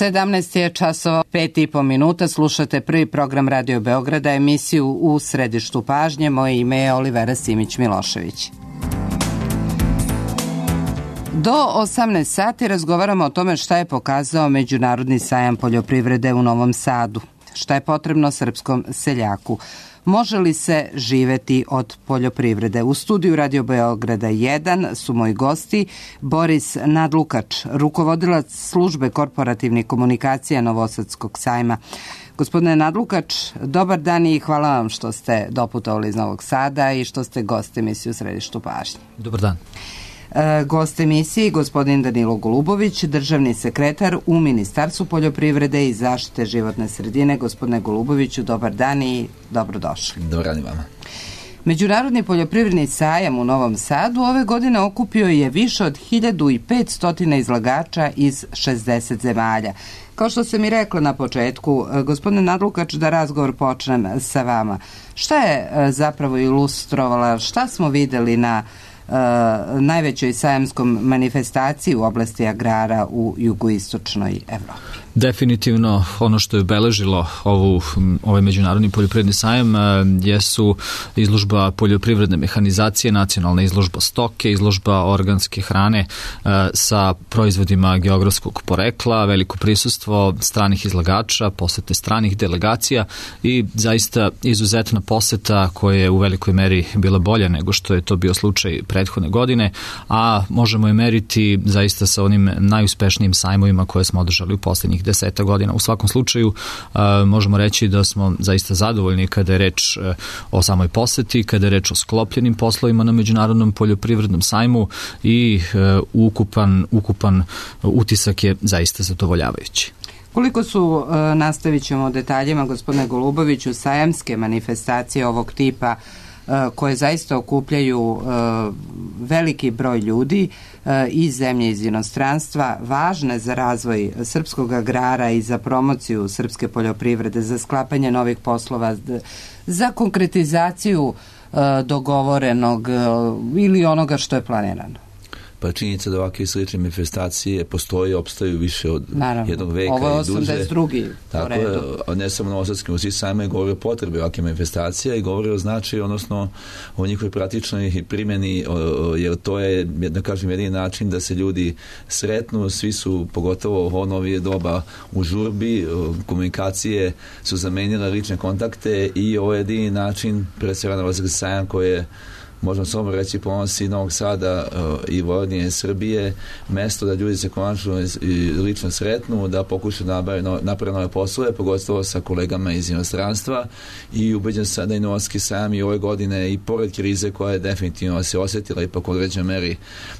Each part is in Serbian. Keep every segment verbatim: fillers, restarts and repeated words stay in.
sedamnaest je časova, pet i po minuta, slušate prvi program Radio Beograda, emisiju U središtu pažnje. Moje ime je Olivera Simić-Milošević. Do osamnaest sati razgovaramo o tome šta je pokazao Međunarodni sajam poljoprivrede u Novom Sadu, šta je potrebno srpskom seljaku. Može li se živeti od poljoprivrede? U studiju Radio Beograda jedan su moji gosti Boris Nadlukač, rukovodilac službe korporativnih komunikacija Novosadskog sajma. Gospodine Nadlukač, dobar dan i hvala vam što ste doputovali iz Novog Sada i što ste gost emisije U središtu pažnje. Dobar dan. Gost emisiji gospodin Danilo Golubović, državni sekretar u Ministarstvu poljoprivrede i zaštite životne sredine. Gospodine Goluboviću, dobar dan i dobrodošli. Dobar dan i vama. Međunarodni poljoprivredni sajam u Novom Sadu ove godine okupio je više od hiljadu petsto izlagača iz šezdeset zemalja. Kao što sam i rekla na početku, gospodine Nadlukač, da razgovor počnem sa vama. Šta je zapravo ilustrovala, šta smo videli na Uh, najvećoj sajamskom manifestaciji u oblasti agrara u jugoistočnoj Evropi? Definitivno ono što je obeležilo ovu, ovaj međunarodni poljoprivredni sajam jesu izložba poljoprivredne mehanizacije, nacionalna izložba stoke, izložba organske hrane sa proizvodima geografskog porekla, veliko prisustvo stranih izlagača, posete stranih delegacija i zaista izuzetna poseta koja je u velikoj meri bila bolja nego što je to bio slučaj prethodne godine, a možemo je meriti zaista sa onim najuspešnijim sajmovima koje smo održali u posljednjih deseta godina. U svakom slučaju uh, možemo reći da smo zaista zadovoljni kada je reč uh, o samoj poseti, kada je reč o sklopljenim poslovima na Međunarodnom poljoprivrednom sajmu i uh, ukupan, ukupan utisak je zaista zadovoljavajući. Koliko su, uh, nastavit ćemo detaljima, gospodine Goluboviću, sajamske manifestacije ovog tipa koje zaista okupljaju uh, veliki broj ljudi uh, iz zemlje, iz inostranstva, važne za razvoj srpskog agrara i za promociju srpske poljoprivrede, za sklapanje novih poslova, za konkretizaciju uh, dogovorenog uh, ili onoga što je planirano? Pa činjenica da ovakve slične manifestacije postoje, opstaju više od Naravno. jednog veka i duže. Ovo je osamdeset drugi Tako je, ne samo novosadski, svi sami govore o potrebi ovakve manifestacije i govore o značaju, odnosno o njihovoj praktičnoj primjeni, jer to je, da kažem, jedini način da se ljudi sretnu, svi su, pogotovo u novije doba u žurbi, komunikacije su zamenile lične kontakte i ovo je jedini način, pre svega Novosadski sajam koji je, možemo samo reći, ponosi Novog Sada uh, i Vojvodine Srbije, mesto da ljudi se konačno lično sretnu, da pokušaju da naprave nove poslove, pogotovo sa kolegama iz inostranstva, i ubeđen sam da i Novosadski sajam i ove godine, i pored krize koja je definitivno se osjetila ipak u određenoj meri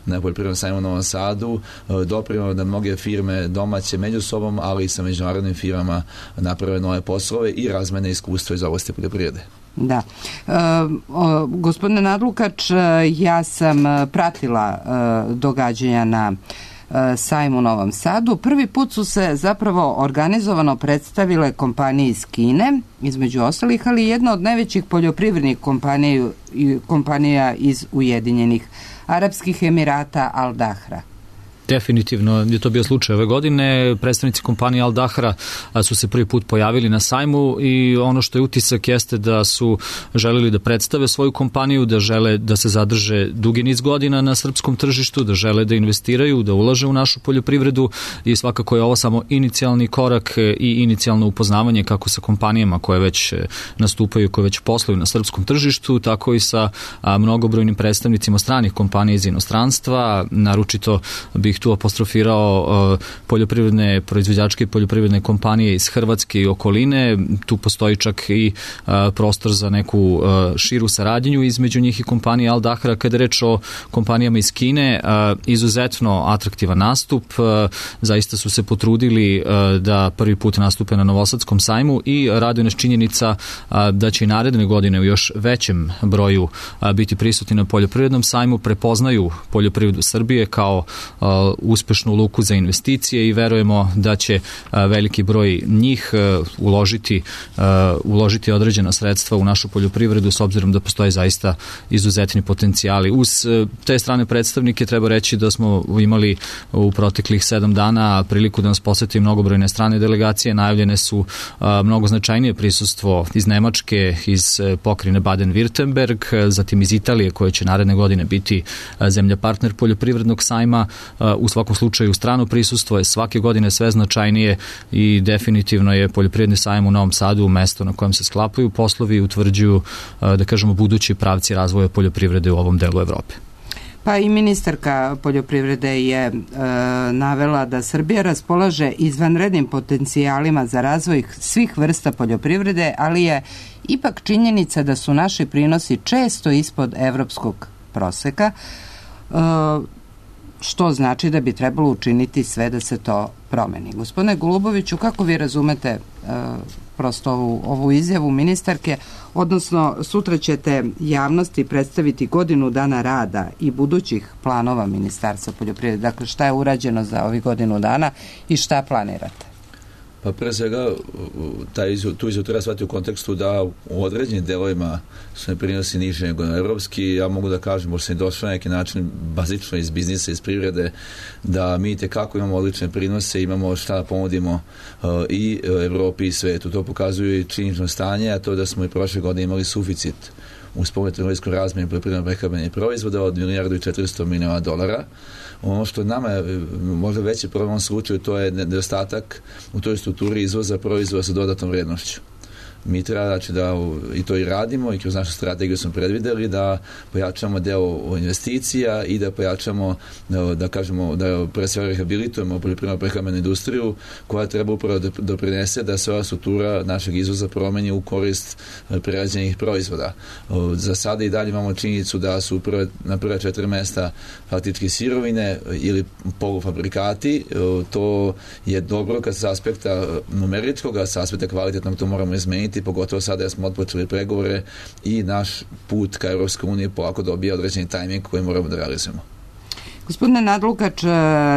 na poljoprivrednom sajmu u Novom Sadu, uh, doprinelo da mnoge firme domaće među sobom, ali i sa međunarodnim firmama naprave nove poslove i razmene iskustva iz oblasti poljoprivrede. Da. E, o, gospodine Nadlukač, ja sam pratila e, događanja na e, sajmu u Novom Sadu. Prvi put su se zapravo organizovano predstavile kompanije iz Kine, između ostalih, ali jedna od najvećih poljoprivrednih kompanija, kompanija iz Ujedinjenih Arapskih Emirata, Al Dahra. Definitivno je to bio slučaj ove godine. Predstavnici kompanije Al Dahra su se prvi put pojavili na sajmu i ono što je utisak jeste da su želeli da predstave svoju kompaniju, da žele da se zadrže dugi niz godina na srpskom tržištu, da žele da investiraju, da ulaže u našu poljoprivredu i svakako je ovo samo inicijalni korak i inicijalno upoznavanje kako sa kompanijama koje već nastupaju, koje već posluju na srpskom tržištu, tako i sa mnogobrojnim predstavnicima stranih kompanija iz inostranstva. Naročito bih tu apostrofirao uh, poljoprivredne proizvođačke i poljoprivredne kompanije iz Hrvatske i okoline. Tu postoji čak i uh, prostor za neku uh, širu saradnju između njih i kompanije Al Dahra. Kada je reč o kompanijama iz Kine, uh, izuzetno atraktivan nastup. Uh, zaista su se potrudili uh, da prvi put nastupe na Novosadskom sajmu i raduje nas činjenica uh, da će i naredne godine u još većem broju uh, biti prisutni na poljoprivrednom sajmu, prepoznaju poljoprivredu Srbije kao uh, uspešnu luku za investicije i verujemo da će veliki broj njih uložiti, uložiti određena sredstva u našu poljoprivredu s obzirom da postoje zaista izuzetni potencijali. Uz te strane predstavnike treba reći da smo imali u proteklih sedam dana priliku da nas poseti mnogobrojne strane delegacije. Najavljene su mnogo značajnije prisustvo iz Nemačke, iz pokrajine Baden-Württemberg, zatim iz Italije koja će naredne godine biti zemlja partner poljoprivrednog sajma. U svakom slučaju strano prisustvo je svake godine sve značajnije i definitivno je poljoprivredni sajam u Novom Sadu mesto na kojem se sklapaju poslovi i utvrđuju, da kažemo, budući pravci razvoja poljoprivrede u ovom delu Evrope. Pa i ministarka poljoprivrede je e, navela da Srbija raspolaže izvanrednim potencijalima za razvoj svih vrsta poljoprivrede, ali je ipak činjenica da su naši prinosi često ispod evropskog proseka, e, što znači da bi trebalo učiniti sve da se to promeni. Gospodine Goluboviću, kako vi razumete e, prosto ovu, ovu izjavu ministarke, odnosno sutra ćete javnosti predstaviti godinu dana rada i budućih planova Ministarstva poljoprivrede. Dakle, šta je urađeno za ovih godinu dana i šta planirate? Pa pre svega taj izjel, tu izjavu treba shvatiti u kontekstu da u određenim delovima su ne prinosi niže nego na evropski. Ja mogu da kažem, možda sam i došao na neki način bazično iz biznisa, iz privrede, da mi tekako imamo odlične prinose, imamo šta da pomodimo uh, i Evropi i svetu. To pokazuju i činjenično stanje, a to da smo i prošle godine imali suficit u spoljnotrgovinskoj razmjeni poljoprivredno-prehrambenih proizvoda od milijardu i četiristo miliona dolara. Ono što nama je možda veći problem u ovom slučaju, to je nedostatak u toj strukturi izvoza proizvoda sa dodatnom vrednošću. Mi treba, znači, da i to i radimo i kroz našu strategiju smo predvideli da pojačamo deo investicija i da pojačamo, da kažemo, da pre svega rehabilitujemo poljoprivredno prehrambenu industriju koja treba upravo da doprinese da se ova struktura našeg izvoza promeni u korist prerađenih proizvoda. Za sada i dalje imamo činjenicu da su prve, na prve četiri mesta faktički sirovine ili polufabrikati. To je dobro kad sa aspekta numeričkog, a sa aspekta kvalitetnog to moramo izmeniti, pogotovo sada smo otpočeli pregovore i naš put ka Evropskoj uniji polako dobija određeni tajming koji moramo da realizujemo. Gospodine Nadlukač,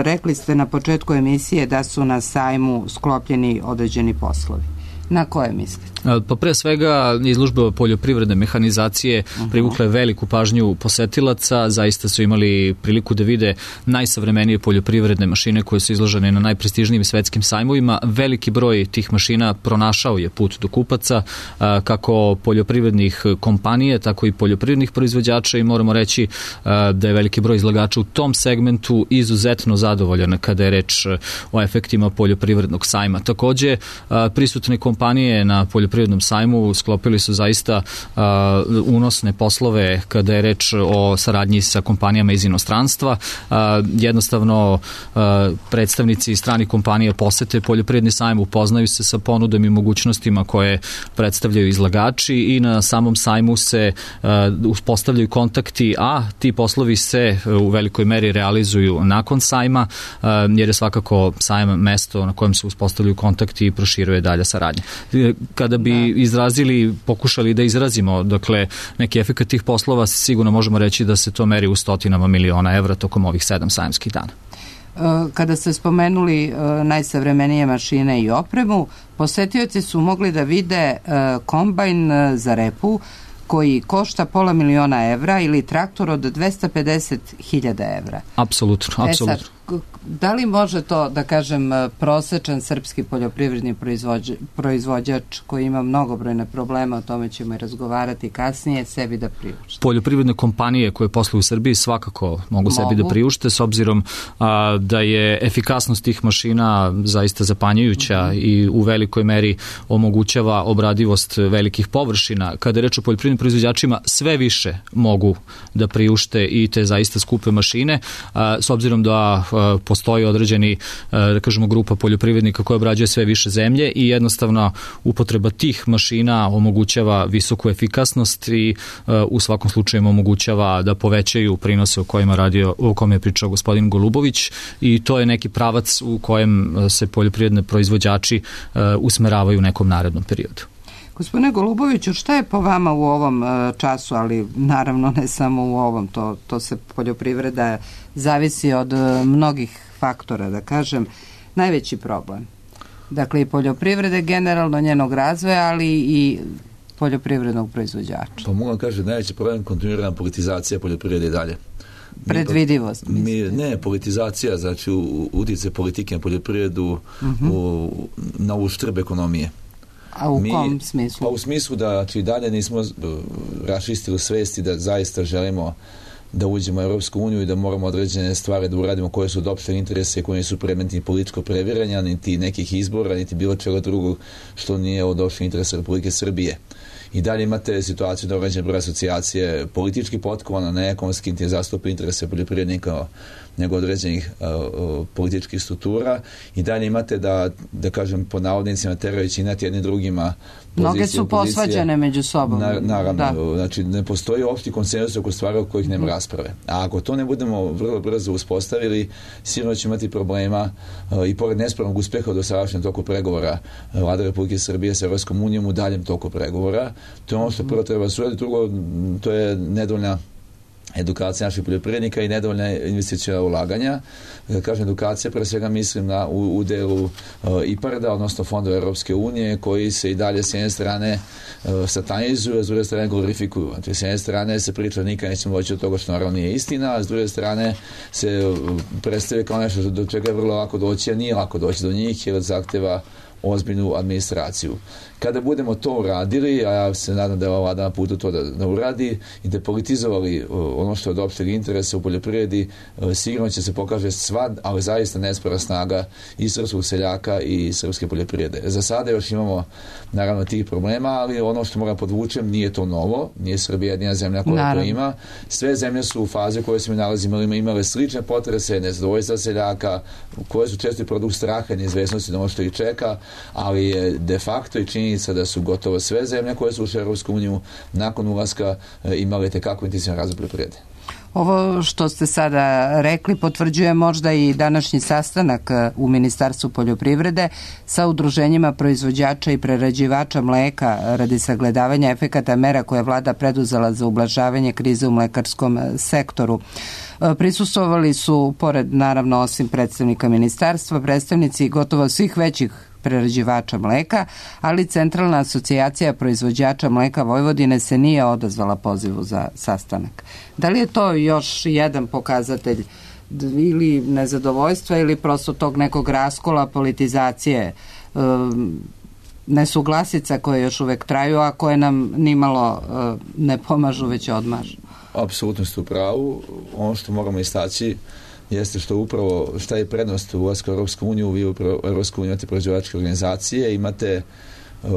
rekli ste na početku emisije da su na sajmu sklopljeni određeni poslovi. Na koje mislite? Pa pre svega izložba poljoprivredne mehanizacije uh-huh. privukla je veliku pažnju posetilaca, zaista su imali priliku da vide najsavremenije poljoprivredne mašine koje su izložene na najprestižnijim svetskim sajmovima. Veliki broj tih mašina pronašao je put do kupaca, kako poljoprivrednih kompanije, tako i poljoprivrednih proizvođača i moramo reći da je veliki broj izlagača u tom segmentu izuzetno zadovoljan kada je reč o efektima poljoprivrednog sajma. Takođe, prisutne kompanije na poljoprivrednom sajmu sklopili su zaista uh, unosne poslove kada je reč o saradnji sa kompanijama iz inostranstva. Uh, jednostavno uh, predstavnici stranih kompanija posete poljoprivredni sajam, upoznaju se sa ponudom i mogućnostima koje predstavljaju izlagači i na samom sajmu se uh, uspostavljaju kontakti, a ti poslovi se uh, u velikoj meri realizuju nakon sajma, uh, jer je svakako sajam mesto na kojem se uspostavljaju kontakti i proširuje dalja saradnja. Kada bi izrazili, pokušali da izrazimo, dakle, neki efekat tih poslova, sigurno možemo reći da se to meri u stotinama miliona evra tokom ovih sedam sajamskih dana. Kada ste spomenuli najsavremenije mašine i opremu, posetioci su mogli da vide kombajn za repu koji košta pola miliona evra ili traktor od dvesta pedeset hiljada evra. Apsolutno, apsolutno. E sad, da li može to, da kažem, prosečan srpski poljoprivredni proizvođač, proizvođač koji ima mnogobrojne probleme, o tome ćemo i razgovarati kasnije, sebi da priušte? Poljoprivredne kompanije koje posluju u Srbiji svakako mogu, mogu. sebi da priušte, s obzirom a, da je efikasnost tih mašina zaista zapanjujuća mm-hmm. i u velikoj meri omogućava obradivost velikih površina. Kada je reč o poljoprivrednim proizvođačima, sve više mogu da priušte i te zaista skupe mašine, a, s obzirom da postoji određeni, da kažemo, grupa poljoprivrednika koja obrađuje sve više zemlje i jednostavno upotreba tih mašina omogućava visoku efikasnost i u svakom slučaju omogućava da povećaju prinose o kojima radio, o kome je pričao gospodin Golubović i to je neki pravac u kojem se poljoprivredne proizvođači usmeravaju u nekom narednom periodu. Gospodine Goluboviću, šta je po vama u ovom času, ali naravno ne samo u ovom, to, to se poljoprivreda zavisi od mnogih faktora, da kažem, najveći problem? Dakle, i poljoprivrede generalno, njenog razvoja, ali i poljoprivrednog proizvođača. Pa mogu kažem, najveći problem kontinuirana politizacija poljoprivrede i dalje. Predvidivost, mi, ne, politizacija, znači utjecaj politike na poljoprivredu uh-huh. u, na uštrb ekonomije. A u mi, kom smislu? Pa u smislu da znači, dalje nismo raščistili svesti da zaista želimo da uđemo u Europsku uniju i da moramo određene stvari da uradimo koje su od opšteg interesa i koje su predmeti političkog previranja, niti nekih izbora, niti bilo čega drugog što nije od opšteg interesa Republike Srbije. I dalje imate situaciju da određene broj asocijacije politički potkovana, ne ekonomski, niti zastupa interese poljoprivrednika nego određenih uh, uh, političkih struktura. I dalje imate da, da kažem, po navodnicima terajući inati jednim drugima pozicije, mnoge su posvađane među sobom. Na, naravno, da. Znači ne postoji opšti konsenzus oko stvari o kojih nema rasprave. A ako to ne budemo vrlo brzo uspostavili, sigurno će imati problema uh, i pored nespornog uspeha u dosadašnjem toku pregovora uh, Vlada Republike Srbije sa Evropskom unijom u daljem toku pregovora. To je ono što prvo treba suraditi, drugo to je nedovoljna edukacija naših poljoprivrednika i nedovoljna investicijona ulaganja. Kažem edukacija, pre svega mislim na u, u delu uh, I P A R D-a, odnosno fondova Europske unije, koji se i dalje s jedne strane uh, satanizuju, a s druge strane glorifikuju. Znači, s jedne strane se priča nikad nećemo doći od toga što naravno nije istina, a s druge strane se uh, predstavlja kao nešto do čega je vrlo lako doći, a nije lako doći do njih, jer zahteva ozbiljnu administraciju. Kada budemo to uradili, a ja se nadam da je ova vlada na putu to da, da uradi i da politizovali ono što je od opšteg interesa u poljoprivredi, sigurno će se pokaže sva, ali zaista nespora snaga i srpskog seljaka i srpske poljoprivrede. Za sada još imamo naravno tih problema, ali ono što moram podvučem, nije to novo, nije Srbija jedina zemlja koja naravno to ima. Sve zemlje su u fazi u kojoj se mi nalazimo imale slične potrese, nezadovoljstva seljaka, koje su često produkt straha i neizvesnosti na ono što ih čeka, ali je de facto i činjenica da su gotovo sve zemlje koje su ušle u Europsku uniju nakon ulaska imale tekako intenzivan razvoj poljoprivrede. Ovo što ste sada rekli potvrđuje možda i današnji sastanak u Ministarstvu poljoprivrede sa udruženjima proizvođača i prerađivača mleka radi sagledavanja efekata mera koje je vlada preduzela za ublažavanje krize u mlekarskom sektoru. Prisustvovali su, pored naravno osim predstavnika ministarstva, predstavnici gotovo svih većih prerađivača mleka, ali Centralna asocijacija proizvođača mleka Vojvodine se nije odazvala pozivu za sastanak. Da li je to još jedan pokazatelj ili nezadovoljstva ili prosto tog nekog raskola, politizacije, nesuglasica koje još uvek traju, a koje nam nimalo ne pomažu, već odmažu? Apsolutno ste u pravu. Ono što moramo istaći jeste što upravo, šta je prednost ulaska u Europsku uniju, vi u Europsku uniju imate proizvođačke organizacije, imate uh,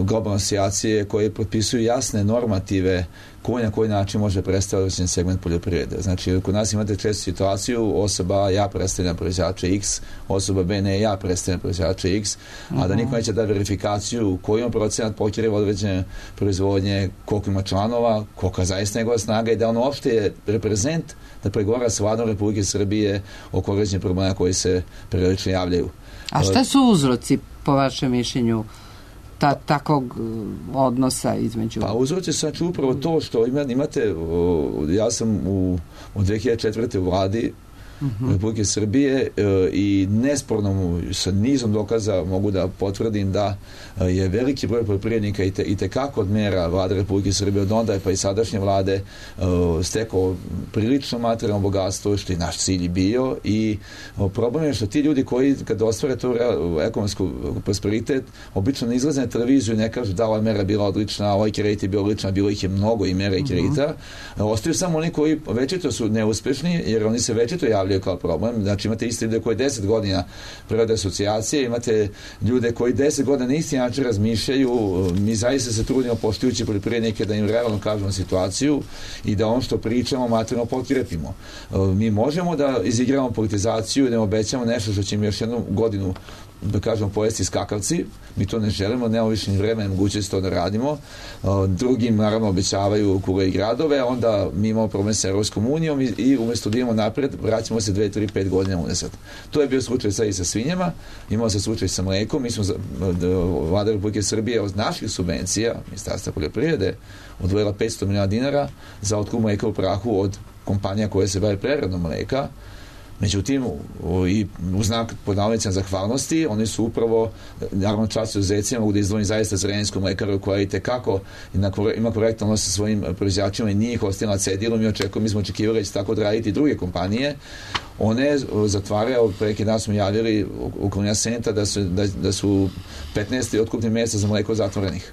globalne asocijacije koje potpisuju jasne normative koji na koji način može predstaviti segment poljoprivrede. Znači, kod nas imate često situaciju, osoba ja predstavljam proizvođača X, osoba B ne, ja predstavljam proizvođača X, a da niko neće da verifikaciju koji on procenat pokriva određene proizvodnje, koliko ima članova, kolika zaista njegova snaga i da on uopšte je reprezent da pregovara s vladom Republike Srbije oko određenih problema koji se periodično javljaju. A šta su uzroci, po vašem mišljenju, ta, takvog odnosa između... Pa uzroci su znači upravo to što imate, ja sam u, u dve hiljade četvrte u vladi uh-huh. Republike Srbije i nesporno sa nizom dokaza mogu da potvrdim da je veliki broj poljoprivrednika i, te, i tekako od mera vlade Republike Srbije od onda pa i sadašnje vlade stekao prilično materijalno bogatstvo što je naš cilj bio i problem je što ti ljudi koji kad ostvare to ekonomsku prosperitet obično ne izlaze na televiziju i ne kažu da ova mera bila odlična, ovaj kredit je bio odlična, bilo ih je mnogo i mera i kredita. Uh-huh. Ostaju samo oni koji večito su neuspešni jer oni se večito javljaju kao problem. Znači imate isti ljude koji deset godina prevode asocijacije, imate ljude koji deset godina na isti način razmišljaju. Mi zaista se trudimo poštujući poljoprivrednike da im realno kažemo situaciju i da ono što pričamo materijalno potkrepimo. Mi možemo da izigramo politizaciju i da im obećamo nešto što će im još jednu godinu da kažemo, pojesti skakavci. Mi to ne želimo, nemamo više ni vremena i mogućnosti to da radimo. Drugim, naravno, obećavaju kule i gradove, onda mi imamo problem sa Europskom unijom i, i umjesto da idemo napred, vraćamo se dve, tri, pet godina unazad. To je bio slučaj sad i sa svinjama, imao se slučaj sa mlekom. Mi smo, Vlada Republike Srbije od naših subvencija, Ministarstva poljoprivrede, odvojila petsto miliona dinara za otkup mleka u prahu od kompanija koje se bave preradom mleka. Međutim, i u znak pod navodnicima zahvalnosti, oni su upravo, naravno čast uzecima, mogu da izdvojim zaista zrenjansku mlekaru koja i tekako ima korektan odnos sa svojim proizvođačima i nije ih ostavila na cedilu. Mi očekujemo, mi smo očekivali da će tako odraditi i druge kompanije. One zatvaraju, preki dan smo javili u Kolonija Senta da su, da, da su petnaest otkupnih mjesta za mleko zatvorenih.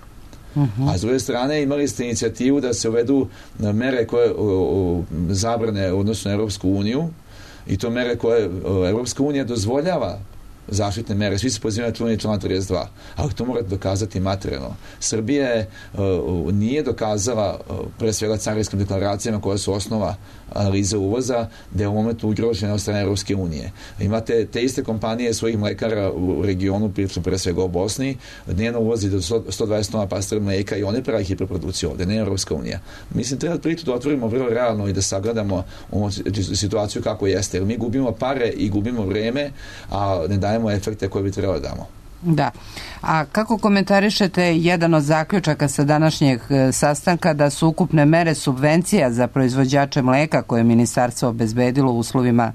Uh-huh. A s druge strane imali ste inicijativu da se uvedu mere koje o, o, zabrane u odnosu na Europsku uniju, i to mere koje Evropska unija dozvoljava zaštitne mere. Svi se pozivaju na čuveni član trideset dva, ali to morate dokazati materijalno. Srbija uh, nije dokazala uh, pre svega carinskim deklaracijama koja su osnova analize uvoza da je u momentu ugrožena od strane Evropske unije. Imate te iste kompanije svojih mlekara u regionu, pričam pre svega o Bosni, dnevno uvozi do sto dvadeset tona pastora mleka i one pravi hiperprodukciju ovde, ne Evropska unija. Mislim, treba priču da otvorimo vrlo realno i da sagledamo situaciju kako jeste, jer mi gubimo pare i gubimo vreme, a ne dajemo efekte koje bi trebalo damo. Da. A kako komentarišete jedan od zaključaka sa današnjeg sastanka da su ukupne mere subvencija za proizvođače mleka koje je ministarstvo obezbedilo u uslovima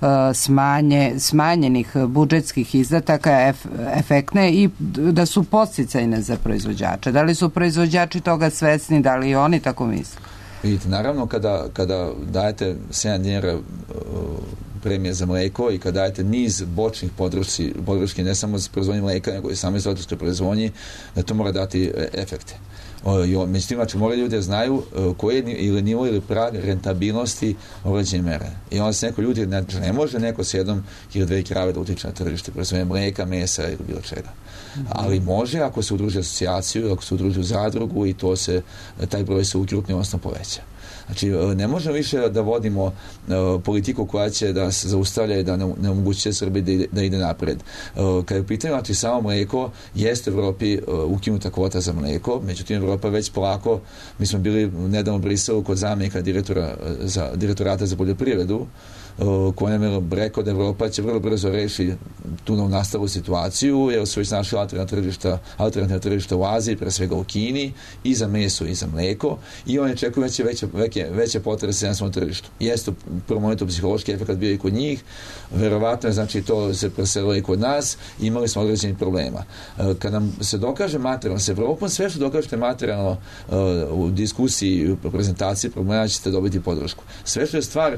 uh, smanje, smanjenih budžetskih izdataka ef, efektne i da su podsticajne za proizvođače? Da li su proizvođači toga svesni, da li oni tako misle? Vidite, naravno kada, kada dajete sedam dinara uh, premije za mleko i kada dajete niz bočnih podršci, podrški ne samo za proizvodnje mleka, nego i same stočarske proizvodnje, da to mora dati efekte. Međutim, znači, moraju ljudi da znaju koji je ili nivo ili prag rentabilnosti određene mere. I onda se neko ljudi, ne, ne može neko s jednom ili dve krave da utiče na tržište, proizvodnje mleka, mesa ili bilo čega. Mm-hmm. Ali može ako se udruži asocijaciju, ako se udruži u zadrugu i to se, taj broj se ukrupni, odnosno poveća. Znači, ne možemo više da vodimo uh, politiku koja će da se zaustavlja i da ne, ne omogućuje Srbiji da ide, da ide napred. Uh, kad je pitanje, znači, samo mleko, jeste u Evropi uh, ukinuta kvota za mleko, međutim, Evropa već polako, mi smo bili nedavno u Briselu kod zamjenika direktora, za, direktorata za poljoprivredu, koji nam je rekao da Evropa će vrlo brzo reši tu novu nastavu situaciju, jer su već našli alternativna tržišta, alternativna tržišta u Aziji, pre svega u Kini, i za meso i za mleko, i oni čekuju veće, veće, veće, veće potrese na svom tržištu. Jeste u prvom momentu psihološki efekt bio i kod njih, verovatno je, znači, to se preselilo i kod nas, i imali smo određenih problema. Kad nam se dokaže materijalno, se Evropom sve što dokažete materijalno u diskusiji, u prezentaciji problema, ćete dobiti podršku. Sve što je stvar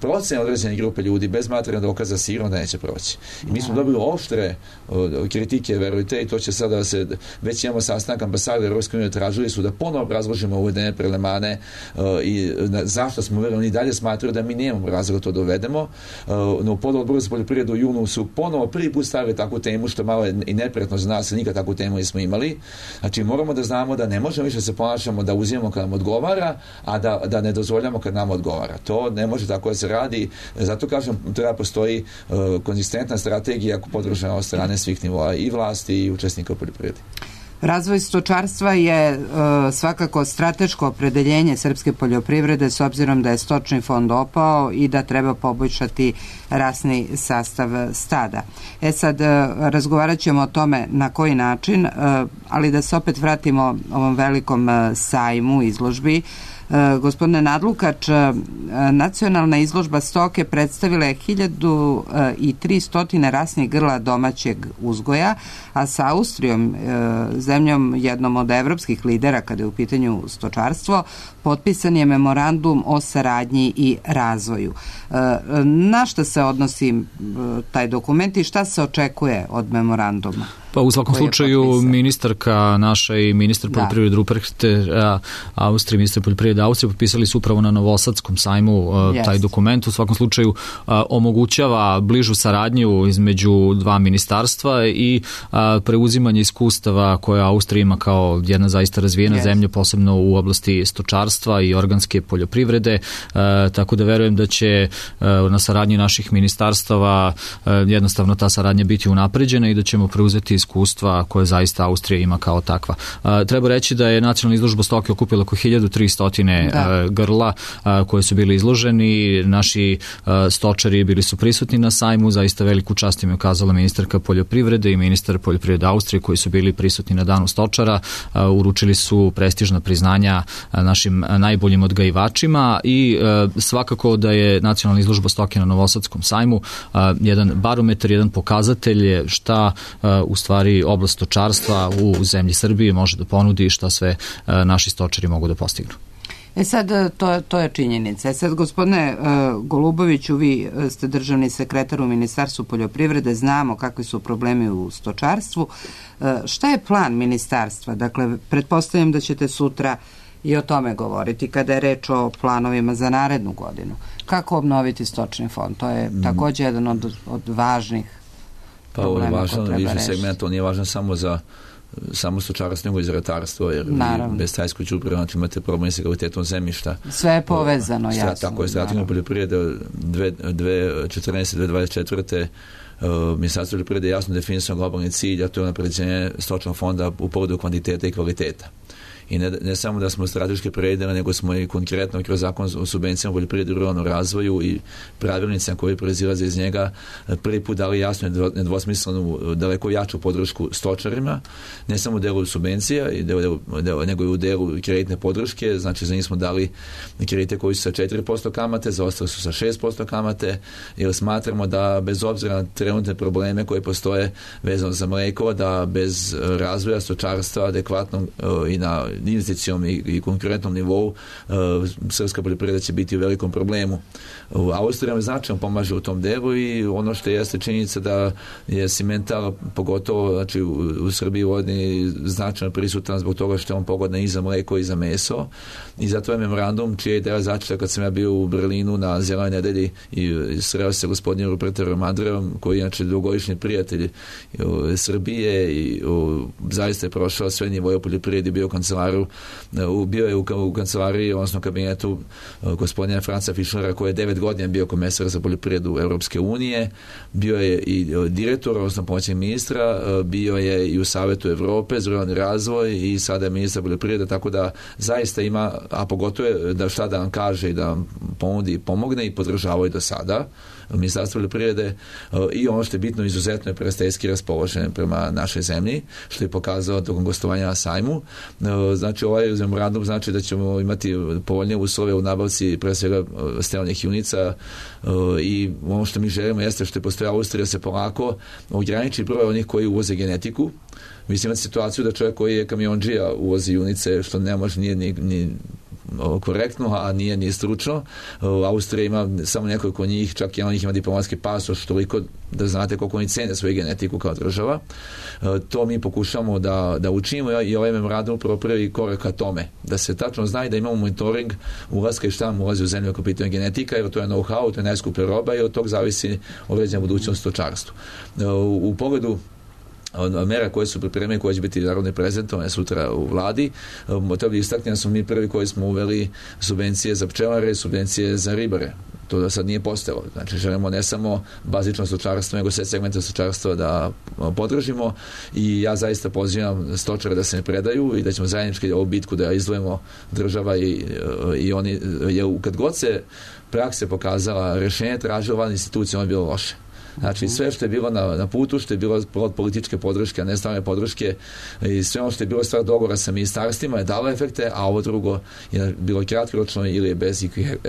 procene određene grupe ljudi bez materijalnog dokaza sigurno da neće proći. I mi smo dobili oštre uh, kritike, verujte, i to će sada da se, već imamo sastanak ambasade Evropske unije, tražili su da ponovo obrazložimo uvedene prelemane uh, i na, zašto smo uveli, oni dalje smatraju da mi nemamo razloga to dovedemo. Uh, no, u pododboru za poljoprivredu u junu su ponovo prvi put stavili takvu temu, što malo je i neprijatno za nas, nikad takvu temu nismo imali. Znači, moramo da znamo da ne možemo više se ponašamo da uzimamo kad nam odgovara, a da, da ne dozvoljamo kad nam odgovara. To ne može tako da se radi. Zato kažem, treba postoji uh, konzistentna strategija podržana od strane svih nivoa i vlasti i učesnika u poljoprivredi. Razvoj stočarstva je uh, svakako strateško opredeljenje srpske poljoprivrede s obzirom da je stočni fond opao i da treba poboljšati rasni sastav stada. E sad, uh, razgovarat ćemo o tome na koji način, uh, ali da se opet vratimo ovom velikom uh, sajmu, izložbi. Uh, gospodine Nadlukač, uh, nacionalna izložba stoke predstavila je hiljadu tristo rasnih grla domaćeg uzgoja, a sa Austrijom, uh, zemljom jednom od evropskih lidera kada je u pitanju stočarstvo, potpisan je memorandum o saradnji i razvoju. Uh, na šta se odnosi uh, taj dokument i šta se očekuje od memoranduma? Pa u svakom slučaju ministarka naša i ministar poljoprivrede Ruprecht Austrije, ministar poljoprivrede Austrije potpisali su upravo na Novosadskom sajmu yes. taj dokument. U svakom slučaju a, omogućava bližu saradnju između dva ministarstva i a, preuzimanje iskustava koje Austrija ima kao jedna zaista razvijena yes. zemlja, posebno u oblasti stočarstva i organske poljoprivrede, a, tako da verujem da će a, na saradnji naših ministarstava a, jednostavno ta saradnja biti unapređena i da ćemo preuzeti iskustva koje zaista Austrija ima kao takva. A, treba reći da je Nacionalna izložba stoke okupila oko hiljadu tristo grla a, koje su bili izloženi. Naši a, stočari bili su prisutni na sajmu, zaista veliku čast im je ukazala ministarka poljoprivrede i ministar poljoprivrede Austrije koji su bili prisutni na danu stočara. A, uručili su prestižna priznanja a, našim najboljim odgajivačima i a, svakako da je Nacionalna izložba stoke na Novosadskom sajmu a, jedan barometar, jedan pokazatelj šta a, u stvari oblast stočarstva u zemlji Srbije može da ponudi i šta sve a, naši stočari mogu da postignu. E sad, to, to je činjenica. E sad, gospodine uh, Goluboviću, vi ste državni sekretar u Ministarstvu poljoprivrede, znamo kakvi su problemi u stočarstvu. Uh, šta je plan ministarstva? Dakle, pretpostavljam da ćete sutra i o tome govoriti kada je reč o planovima za narednu godinu. Kako obnoviti stočni fond? To je mm. također jedan od, od važnih pa, problema koje treba rešiti. Pa, važan segment, on nije važan samo za samo stočarstvo, nego i za ratarstvo, jer bez tajskoj đubriva znači imate problem sa kvalitetom zemljišta. Sve je povezano, jasno. Tako je, strategija poljoprivrede dve tisuće četrnaeste do dve tisuće dvadeset četvrte Uh, Ministarstvo poljoprivrede jasno definisano globalni cilj, a to je unapređenje stočnog fonda u pogledu kvantiteta i kvaliteta. I ne, ne samo da smo strateški predeli, nego smo i konkretno kroz zakon o subvencijama poljoprivrede i ruralnom razvoju i pravilnicama koji proizilaze iz njega prvi put dali jasno nedvosmislenu daleko jaču podršku stočarima, ne samo u delu subvencija i delu, delu, nego i u delu kreditne podrške. Znači za njih smo dali kredite koji su sa četiri posto kamate, za ostale su sa šest posto kamate, jer smatramo da bez obzira na trenutne probleme koje postoje vezano za mleko, da bez razvoja stočarstva adekvatno uh, i na investicijom i, i konkurentnom nivou uh, srpska poljoprivreda će biti u velikom problemu. U Austriji nam značajno pomaže u tom delu i ono što jeste činjenica da je Simmental pogotovo znači, u, u Srbiji vodni značajno prisutan zbog toga što je on pogodan i za mleko i za meso i zato je memorandum čija je ideja začeta kad sam ja bio u Berlinu na Zelenoj nedelji i sreo se gospodinom Rupertom Andrejom koji je inače dugogodišnji prijatelj u, Srbije i u, zaista je prošao sve nivoje u poljoprivredi, bio u kancelaru, u, bio je u, u kancelariji, odnosno kabinetu gospodina Franca Fischlera koji je devet godina bio komesar za poljoprivredu Europske unije, bio je i direktor, odnosno pomoćnik ministra, bio je i u Savetu Evrope za ruralni razvoj i sada je ministar poljoprivrede, tako da zaista ima, a pogotovo je da šta da vam kaže i da vam ponudi i pomogne i podržavaju do sada Ministarstvo poljoprivrede i ono što je bitno izuzetno je prijateljski raspoložen prema našoj zemlji, što je pokazao tokom gostovanja na sajmu. Znači ovaj memorandum znači da ćemo imati povoljnije uslove u nabavci pre svega sterilnih junica i ono što mi želimo jeste što je postoje Austrija se polako ograniči broj onih koji uvoze genetiku. Mislim imati situaciju da čovjek koji je kamionđija uvozi junice što ne može nije ni, ni korektno, a nije ni stručno. Austrija ima samo nekoliko njih, čak i onih ima diplomatski pasoš, toliko da znate koliko oni cene svoju genetiku kao država. To mi pokušamo da, da učinimo i ovaj memorandum upravo prvi korak ka tome. Da se tačno zna i da imamo monitoring ulaska i šta nam ulazi u zemlju ako pitanje genetika, jer to je know-how, to je najskuplja roba i od tog zavisi određena budućnost stočarstvu. U, u pogledu mera koje su pripremljene, koje će biti narodne prezentovane sutra u vladi. Treba da istaknem da smo mi prvi koji smo uveli subvencije za pčelare, subvencije za ribare. To da sad nije postojalo. Znači želimo ne samo bazično stočarstvo, nego sve segmente stočarstva da podržimo i ja zaista pozivam stočare da se ne predaju i da ćemo zajednički ovu bitku da izdvojimo država i, i oni, jer kad god se prakse pokazala rešenje tražila van institucija, ono je bilo loše. Znači sve što je bilo na, na putu, što je bilo od političke podrške, a ne strane podrške i sve ono što je bilo stvar dogovora sa ministarstvima je dalo efekte, a ovo drugo je bilo kratkoročno ili je bez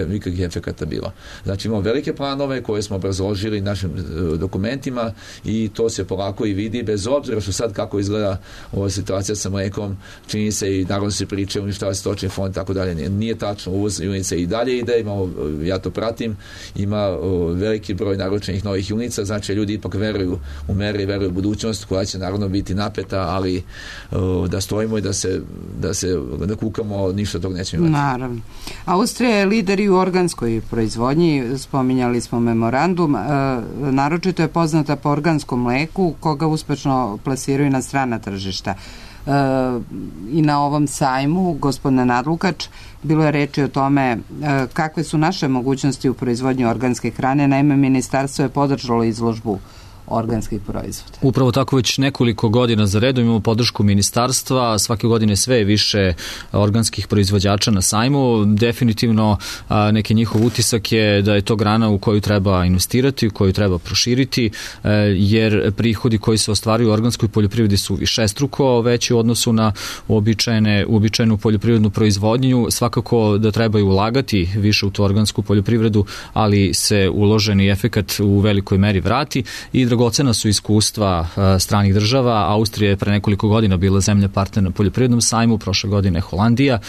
nikakvih efekata bilo. Znači imamo velike planove koje smo obrazložili našim dokumentima i to se polako i vidi, bez obzira što sad kako izgleda ova situacija sa mlekom, čini se i naravno se priče, uništava se stočni fond, tako dalje. Nije, nije tačno, uvoz junica i dalje ide, imamo, ja to pratim, ima o, veliki broj naručenih novih junica, šansa, znači ljudi ipak veruju u mere i veruju u budućnost koja će naravno biti napeta, ali da stojimo i da se, da se da kukamo, ništa tog nećemo imati. Naravno. Austrija je lider i u organskoj proizvodnji, spominjali smo memorandum, naročito je poznata po organskom mleku, koga uspešno plasiraju na strana tržišta. I na ovom sajmu, gospodine Nadlukač, bilo je reči o tome kakve su naše mogućnosti u proizvodnji organske hrane. Naime, ministarstvo je podržalo izložbu organskih proizvoda. Upravo tako već nekoliko godina za redom imamo podršku ministarstva, svake godine sve je više organskih proizvođača na sajmu. Definitivno neki njihov utisak je da je to grana u koju treba investirati, u koju treba proširiti, jer prihodi koji se ostvaruju u organskoj poljoprivredi su višestruko veći u odnosu na uobičajene, uobičajenu poljoprivrednu proizvodnju. Svakako da trebaju ulagati više u tu organsku poljoprivredu, ali se uloženi efekat u velikoj meri vrati i dragocena su iskustva stranih država. Austrija je pre nekoliko godina bila zemlja partner na poljoprivrednom sajmu, prošle godine Holandija.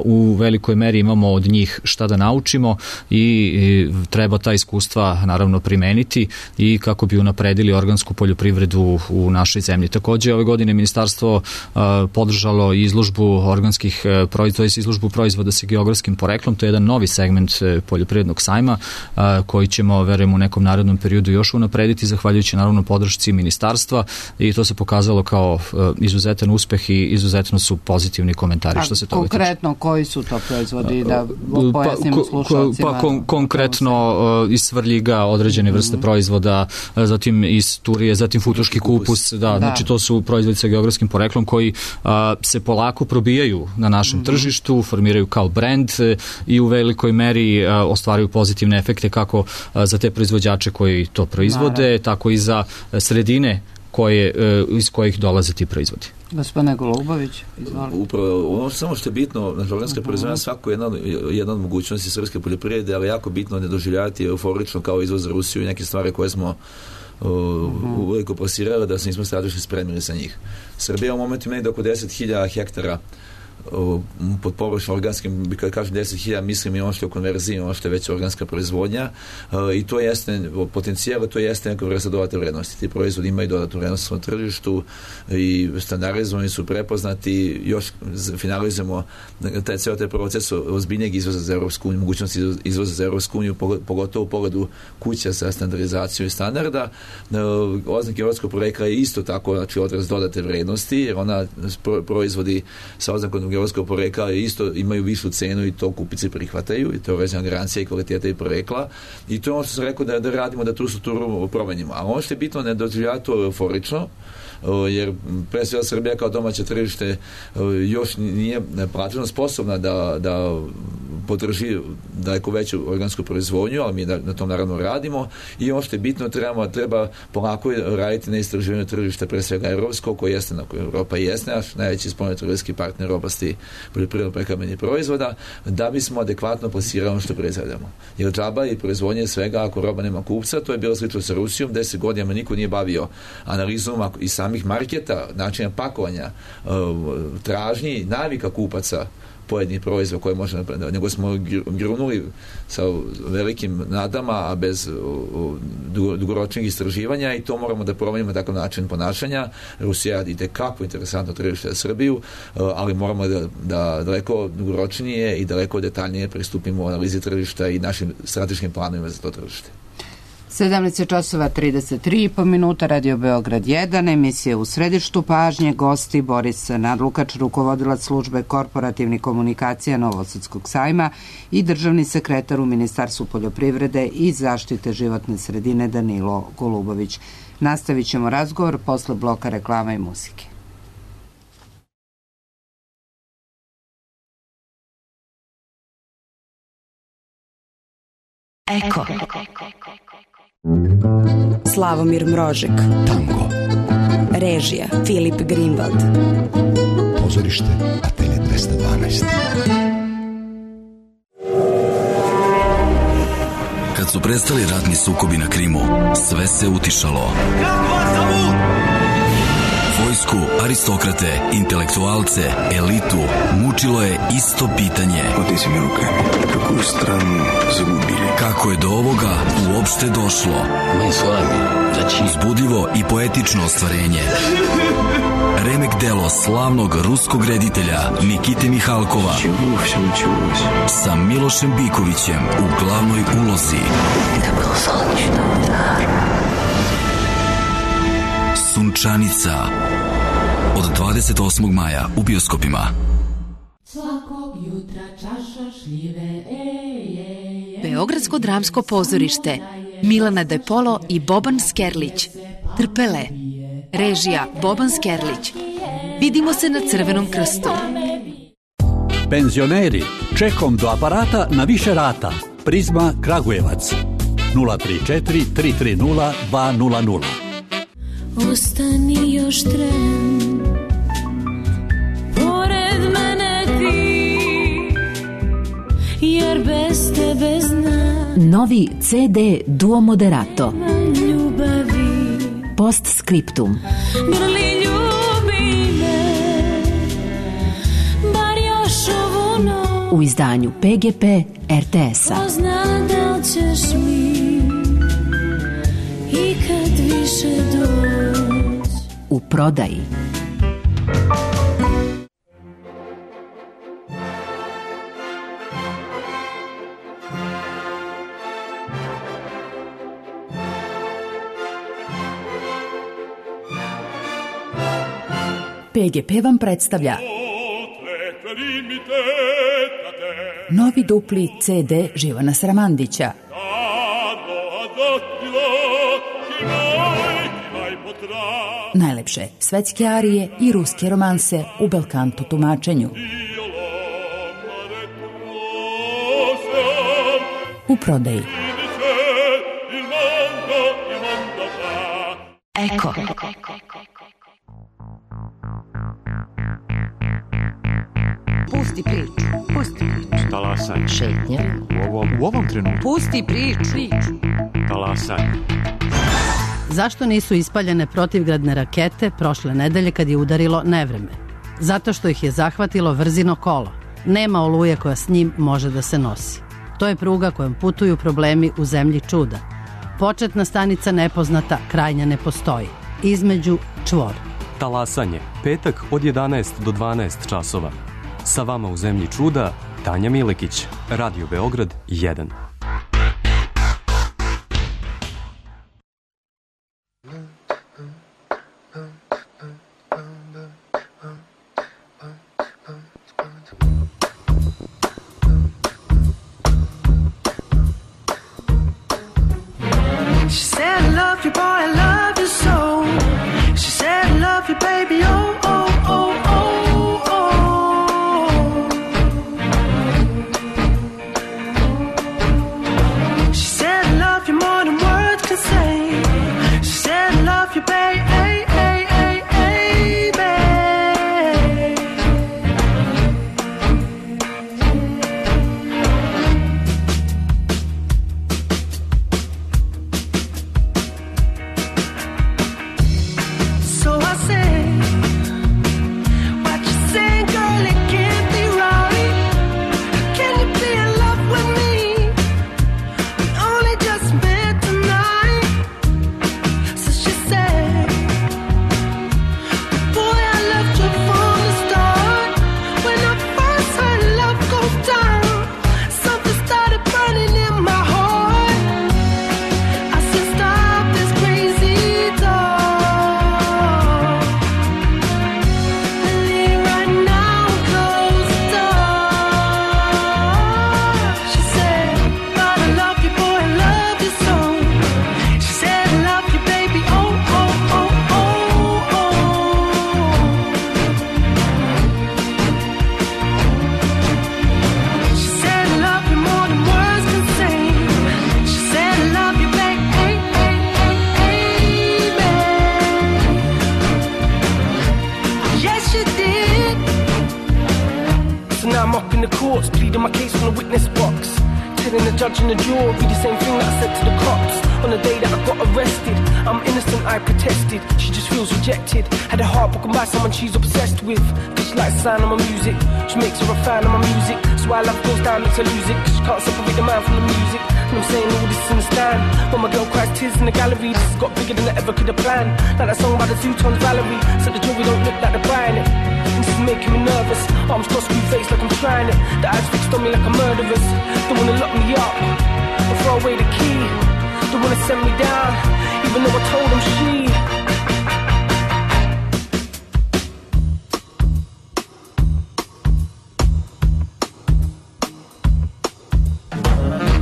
U velikoj meri imamo od njih šta da naučimo i treba ta iskustva naravno primeniti i kako bi unapredili organsku poljoprivredu u našoj zemlji. Takođe, ove godine ministarstvo podržalo izložbu organskih proizvoda, izložbu proizvoda sa geografskim poreklom. To je jedan novi segment poljoprivrednog sajma koji ćemo, verujem, u nekom narednom periodu još unaprediti, zahvaljujući naravno podršci ministarstva, i to se pokazalo kao izuzetan uspeh i izuzetno su pozitivni komentari. A što se toga tiče. Konkretno, koji su to proizvodi, da pojasnimo slušalcima? Pa kon, konkretno iz Svrljiga određene vrste mm-hmm. proizvoda, zatim iz Turije, zatim futoški kupus, da, da. Znači to su proizvodi sa geografskim poreklom koji a, se polako probijaju na našem mm-hmm. tržištu, formiraju kao brend i u velikoj meri a, ostvaraju pozitivne efekte kako a, za te proizvođače koji to proizvode, Naravno. tako i za sredine koje, iz kojih dolaze ti proizvodi. Gospodine Golubović, izvolite. Upravo, ono samo što je bitno, na organska proizvodnja svako je jedna, jedna od mogućnosti srpske poljoprivrede, ali jako bitno ne doživljavati euforično kao izvoz za Rusiju i neke stvari koje smo uh, uh-huh. uveliko plasirali, da se nismo strateški spremili sa njih. Srbija u momentu ima da oko deset hiljada hektara pod površom organskim, kada kažem deset hiljada, mislim i ono što je u konverziji, ono što je već organska proizvodnja, i to jeste potencijal, to jeste neka vrsta dodatne vrednosti. Ti proizvodi imaju dodatnu vrednost na tržištu i standardizovani su, prepoznati, još finalizujemo taj ceo taj proces ozbiljnijeg izvoza za Evropsku uniju, mogućnosti izvoza za Evropsku uniju, pogotovo u pogledu kuća sa standardizacijom i standarda. Oznak evropskog porekla je isto tako, znači odraz dodate vrednosti, jer ona proizvodi sa oznakom geografskog porekla isto imaju višu cenu i to kupici prihvataju i to je vezana garancija i kvaliteta i porekla, i to je ono što sam rekao da, da radimo, da tu strukturu promenimo. A ono što je bitno, ne doživljava to euforično, jer pre svega Srbija kao domaće tržište još nije plaćeno sposobna da, da podrži daleko veću organsku proizvodnju, ali mi na tom naravno radimo, i ono što je bitno, treba, treba polako raditi na istraživanju tržišta, pre svega evropskog, koje jeste, na koje Evropa jeste naš najveći spoljnotrgovinski partner u oblasti poljoprivredno prehrambenih proizvoda, da bismo adekvatno plasirali ono što proizvedemo. Jer džaba i proizvodnje svega, ako roba nema kupca, to je bilo slično sa Rusijom, deset godina niko nije bavio analizom i samih marketa, načina pakovanja, tražnji, navika kupaca pojedinih proizvoda koje možemo, nego smo grunuli sa velikim nadama, a bez dugoročnih istraživanja, i to moramo da promenimo takav način ponašanja. Rusija ide kako interesantno tržište za Srbiju, ali moramo da, da daleko dugoročnije i daleko detaljnije pristupimo u analizi tržišta i našim strateškim planovima za to tržište. sedamnaest časova trideset tri i po minuta, Radio Beograd jedan, emisija U središtu pažnje, gosti Boris Nadlukač, rukovodilac službe korporativnih komunikacija Novosadskog sajma, i državni sekretar u Ministarstvu poljoprivrede i zaštite životne sredine Danilo Golubović. Nastavit ćemo razgovor posle bloka reklama i muzike. Eko. Slavomir Mrožek. Tango. Režija Filip Greenwald. Pozorište Atelje dvesta dvanaest. Kad su prestali ratni sukobi na Krimu, sve se utišalo. Vojsku, aristokrate, intelektualce, elitu, mučilo je isto pitanje. Otezime rukami, kakvu stranu zagubili. Kako je do ovoga uopšte došlo? Mi s vami, znači... Uzbudljivo i poetično ostvarenje. Remek delo slavnog ruskog reditelja Nikite Mihalkova sa Milošem Bikovićem u glavnoj ulozi. Sunčanica od dvadeset osmog maja u bioskopima. Svakog jutra čaša šljive, ej, ej, ej. Beogradsko dramsko pozorište, Milana De Polo i Boban Skerlić. Trpele. Režija Boban Skerlić. Vidimo se na Crvenom krstu. Penzioneri, čekom do aparata na više rata. Prizma Kragujevac. nula tri četiri tri tri nula dva nula nula. Ostani još tren, pored mene ti, jer bez tebe znam. Novi ce de Duo Moderato. Ljubavi. Postscriptum. Grli ljubi me, bar još ovu noć. U izdanju pe ge pe er te es-a. Ko zna da li ćeš mi ikad više doći. U prodaji. pe ge pe vam predstavlja novi dupli ce de Živana Sramandića. Najlepše svetske arije i ruske romanse u belkanto tumačenju. U prodaji. Eko. Pusti priču, pusti priču. Talasaj. Šetnja. U ovom, u ovom trenutku. Pusti priču. Talasaj. Zašto nisu ispaljene protivgradne rakete prošle nedelje kad je udarilo nevreme? Zato što ih je zahvatilo vrzino kolo. Nema oluje koja s njim može da se nosi. To je pruga kojom putuju problemi u zemlji čuda. Početna stanica nepoznata, krajnja ne postoji. Između čvor. Talasanje, petak od jedanaest do dvanaest časova. Sa vama u zemlji čuda, Tanja Milekić, Radio Beograd jedan. She said I love you, boy, I love you so. She said I love you, baby, oh, oh, oh, oh, oh. She said I love you more than words can say. She said I love you, baby, hey, hey, hey, hey, babe. So I say, what you say, girl, it can't be right. Can you be in love with me? We only just met tonight. So she said, boy, I loved you from the start. When I first heard love go down, something started burning in my heart. I said, stop this crazy talk. Leave right now, close the door. She said, but I love you, boy, I love you so. She said, I love you, baby, oh, oh, oh, oh, oh. She said, I love you more than words can say. She said, I love you, baby, hey, hey, hey, hey, babe. Yes, you did. So now I'm up in the courts, pleading my case from the witness box. Telling the judge and the jury the same thing that I said to the cops. On the day that I got arrested, I'm innocent, I protested. She just feels rejected. Had her heart broken by someone she's obsessed with. Cause she likes the sound of my music, she makes her a fan of my music. So why love goes down makes her lose it. Cause she can't separate the man from the music. And I'm saying all this in the stand. When my girl cries tears in the gallery, this has got bigger than I ever could have planned. Like that song by the Zootons, Valerie. So the jury don't look like they're buying it. And this is making me nervous. Arms crossed, screw face like I'm trying it. The eyes fixed on me like a murderer's. Don't wanna lock me up or throw away the key. Don't wanna send me down, even though I told them she.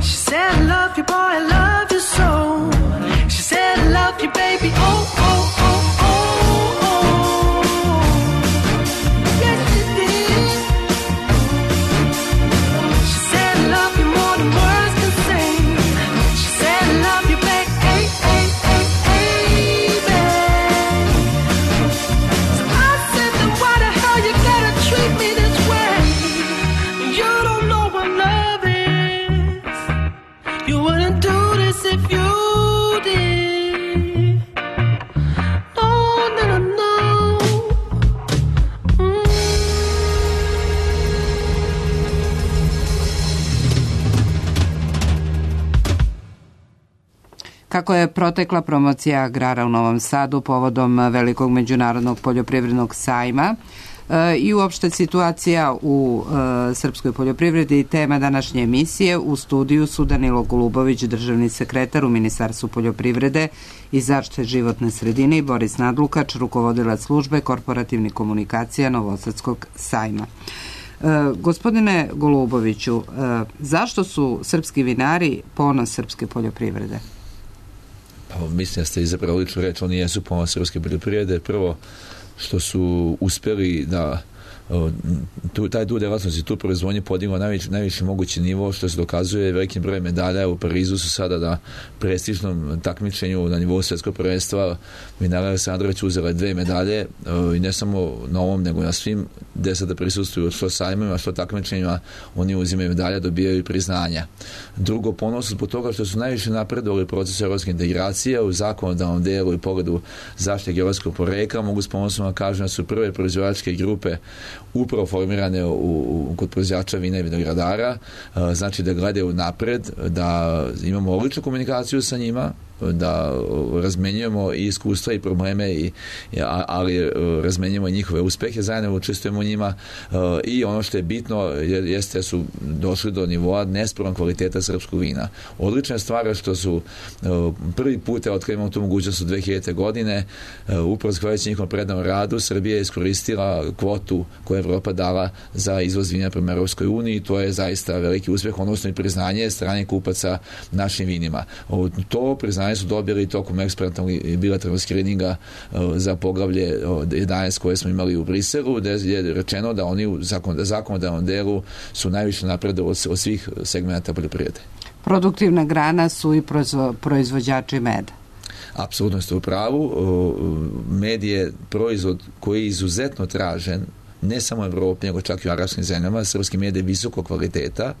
She said I love you, boy, I love you so. She said I love you, baby, oh, oh, oh, oh, oh. Yes, she did. She said I love you more than words can say. She said I love you, baby, hey, hey, hey, hey, babe. So I said, then why the hell you gotta treat me this way? You don't know what love is. You wouldn't do this if you did. No, no, no, no. Mm. Kako je protekla promocija agrara u Novom Sadu povodom velikog međunarodnog poljoprivrednog sajma e, i uopšte situacija u e, srpskoj poljoprivredi, tema današnje emisije. U studiju su Danilo Golubović, državni sekretar u Ministarstvu poljoprivrede i zaštite životne sredine, i Boris Nadlukač, rukovodilac službe korporativnih komunikacija Novosadskog sajma. E, gospodine Goluboviću, e, zašto su srpski vinari ponos srpske poljoprivrede? Pa, mislim da ste izabrali ličnu reč, oni jesu ponos srpske poljoprivrede. Prvo, što su uspeli da tu, taj tu delatnost i tu proizvodnje podigla najviši, najviši mogući nivo, što se dokazuje velikim brojem medalja. U Parizu su sada na prestižnom takmičenju na nivou svjetskog prvenstva vinara Aleksandrović uzela dve medalje, i ne samo na ovom, nego na svim gde sada prisustuju što sajmima, što takmičenjima, oni uzimaju medalja, dobijaju priznanja. Drugo, ponos zbog toga što su najviše napredovali proces evropske integracije u zakonodavnom delu i pogledu zaštite geografskog porekla. Mogu s ponosom da kažem da su prve proizvođačke grupe upravo formirane u, u, kod proizvođača vina i vinogradara, znači da gledaju napred, da imamo odličnu komunikaciju sa njima, da razmenjujemo i iskustva i probleme, i, ali razmenjujemo i njihove uspehe, zajedno učestvujemo u njima, i ono što je bitno jeste da su došli do nivoa nespornog kvaliteta srpskog vina. Odlična stvar je što su prvi put otkrijemo tu mogućnost u dve hiljadite. godine, upravo zahvaljujući njihovom prednom radu, Srbija je iskoristila kvotu koju je Evropa dala za izvoz vina prema Evropskoj uniji. To je zaista veliki uspeh, odnosno i priznanje strane kupaca našim vinima. To priznanje su dobili tokom ekspertnog i bilateralnog skrininga za poglavlje jedanaest koje smo imali u Briselu, gde je rečeno da oni u zakonodavnom delu su najviše napredovali od svih segmenta poljoprivrede. Produktivna grana su i proizvođači meda. Apsolutno ste u pravu. Med je proizvod koji je izuzetno tražen, ne samo u Evropi, nego čak i u arapskim zemljama. Srpski med je visoko kvaliteta.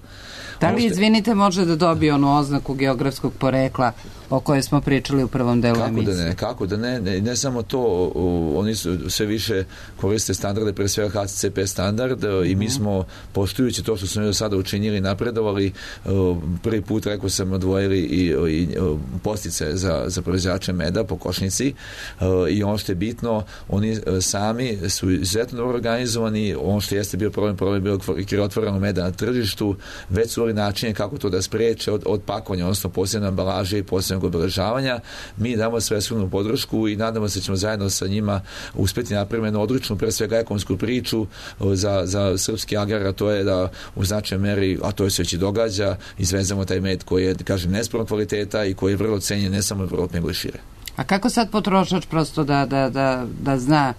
Da li, izvinite, može da dobije onu oznaku geografskog porekla o kojoj smo pričali u prvom delu kako emisije? Da ne, kako da ne, ne, ne samo to, oni su sve više koriste standarde, pre svega H C C P standard, i mi smo, poštujući to što smo do sada učinili, napredovali. Prvi put, rekao sam, odvojili i, i postice za, za proizvođače meda po košnici, i ono što je bitno, oni sami su izuzetno dobro organizovani. Ono što jeste bio problem, problem je bilo krivotvoreno meda na tržištu, već su načine kako to da spreče od, od pakovanja, odnosno posebne ambalaže i posebnog obeležavanja. Mi damo svesrdnu podršku i nadamo se da ćemo zajedno sa njima uspeti napraviti jednu odličnu, pre svega ekonomsku priču za, za srpski agrar, a to je da u značajnoj meri, a to se već i događa, izvezemo taj med koji je, kažem, nespornog kvaliteta i koji je vrlo cenjen ne samo u Evropi, nego i šire. A kako sad potrošač prosto da, da, da, da zna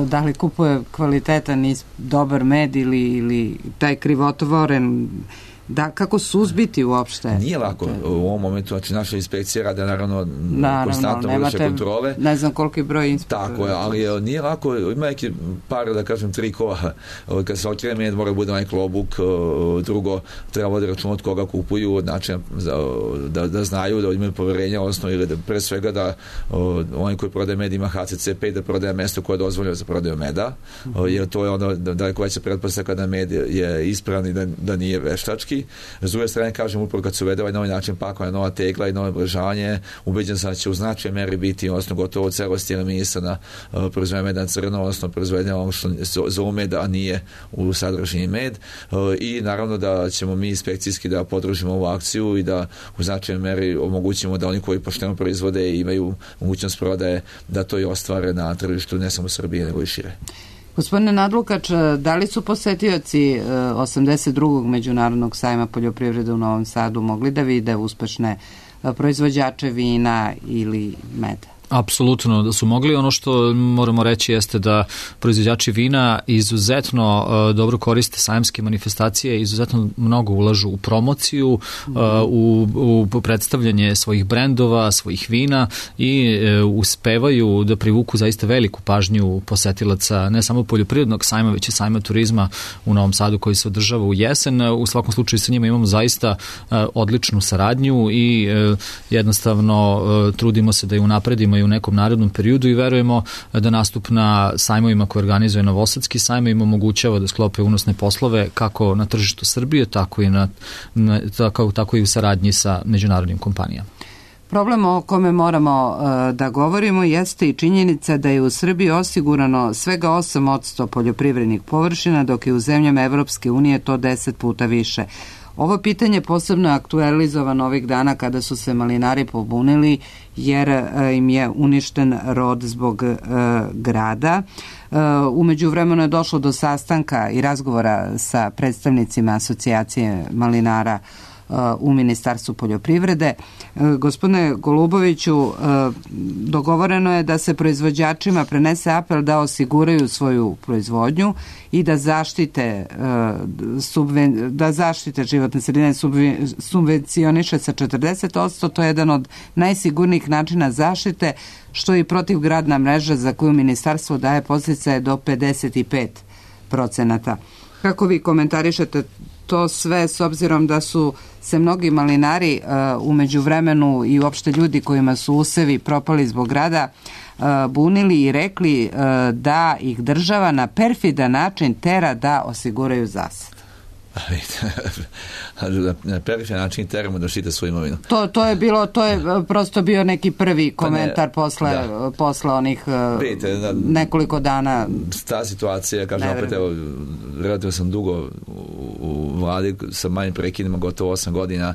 da li kupuje kvalitetan i dobar med ili, ili taj krivotvoren Da, kako suzbiti uopšte? Nije lako u ovom momentu, znači naša inspekcija rade naravno, naravno konstantno vrše kontrole. Ne znam koliki broj inspektora. Tako je, ali nije lako, ima neki par, da kažem, trikova. Kad se okrene med, mora bude onaj klobuk, drugo, treba voditi račun od koga kupuju, znači da, da znaju, da imaju poverenja, odnosno ili da pre svega da onaj koji prodaje med ima H C C P, da prodaje mesto koje je dozvoljeno za prodaju meda, jer to je ono daleko veća pretpostavka da med je ispravan i da, da nije veštački. S druge strane, kažem, upravo kad se uvede ovaj novi način pakovanja, nova tegla i novo oblažavanje, ubeđen sam da će u značaj meri biti, odnosno gotovo celosti eliminisana uh, proizvodnja meda na crno, odnosno proizvodnja ono što zovu med, a nije u sadržini med. Uh, I naravno da ćemo mi inspekcijski da podržimo ovu akciju i da u značaj meri omogućimo da oni koji pošteno proizvode i imaju mogućnost prodaje, da to i ostvare na tržištu ne samo Srbije, nego i šire. Gospodine Nadlukač, da li su posetioci osamdeset drugog Međunarodnog sajma poljoprivrede u Novom Sadu mogli da vide uspešne proizvođače vina ili meda? Apsolutno da su mogli. Ono što moramo reći jeste da proizvođači vina izuzetno uh, dobro koriste sajamske manifestacije, izuzetno mnogo ulažu u promociju, uh, u, u predstavljanje svojih brendova, svojih vina i uh, uspevaju da privuku zaista veliku pažnju posetilaca ne samo poljoprivrednog sajma, već i sajma turizma u Novom Sadu koji se održava u jesen. U svakom slučaju sa njima imamo zaista uh, odličnu saradnju i uh, jednostavno uh, trudimo se da je unapredimo i u nekom narednom periodu i verujemo da nastup na sajmovima koje organizuje Novosadski sajam im omogućava da sklope unosne poslove kako na tržištu Srbije, tako i, na, na, tako, tako i u saradnji sa međunarodnim kompanijama. Problem o kome moramo uh, da govorimo jeste i činjenica da je u Srbiji osigurano svega osam posto poljoprivrednih površina, dok je u zemljama Evropske unije to deset puta više. Ovo pitanje posebno je aktualizovano ovih dana kada su se malinari pobunili jer im je uništen rod zbog e, grada. E, umeđu vremenu je došlo do sastanka i razgovora sa predstavnicima asocijacije malinara u Ministarstvu poljoprivrede. Gospodine Goluboviću, dogovoreno je da se proizvođačima prenese apel da osiguraju svoju proizvodnju i da zaštite da zaštite životne sredine, subvencioniše sa četrdeset posto. To je jedan od najsigurnijih načina zaštite, što je i protivgradna mreža za koju ministarstvo daje podsticaje do pedeset pet procenata. Kako vi komentarišete to sve, s obzirom da su se mnogi malinari uh, u međuvremenu i uopšte ljudi kojima su usevi propali zbog grada uh, bunili i rekli uh, da ih država na perfidan način tera da osiguraju zasad? Na periferan način teramo da štite svoju imovinu. To, to je bilo, to je prosto bio neki prvi komentar pa ne, posle, da. posle onih Vidite, da, nekoliko dana. Ta situacija, kažem opet, evo, relativno sam dugo u, u vladi sa manjim prekinima, gotovo osam godina,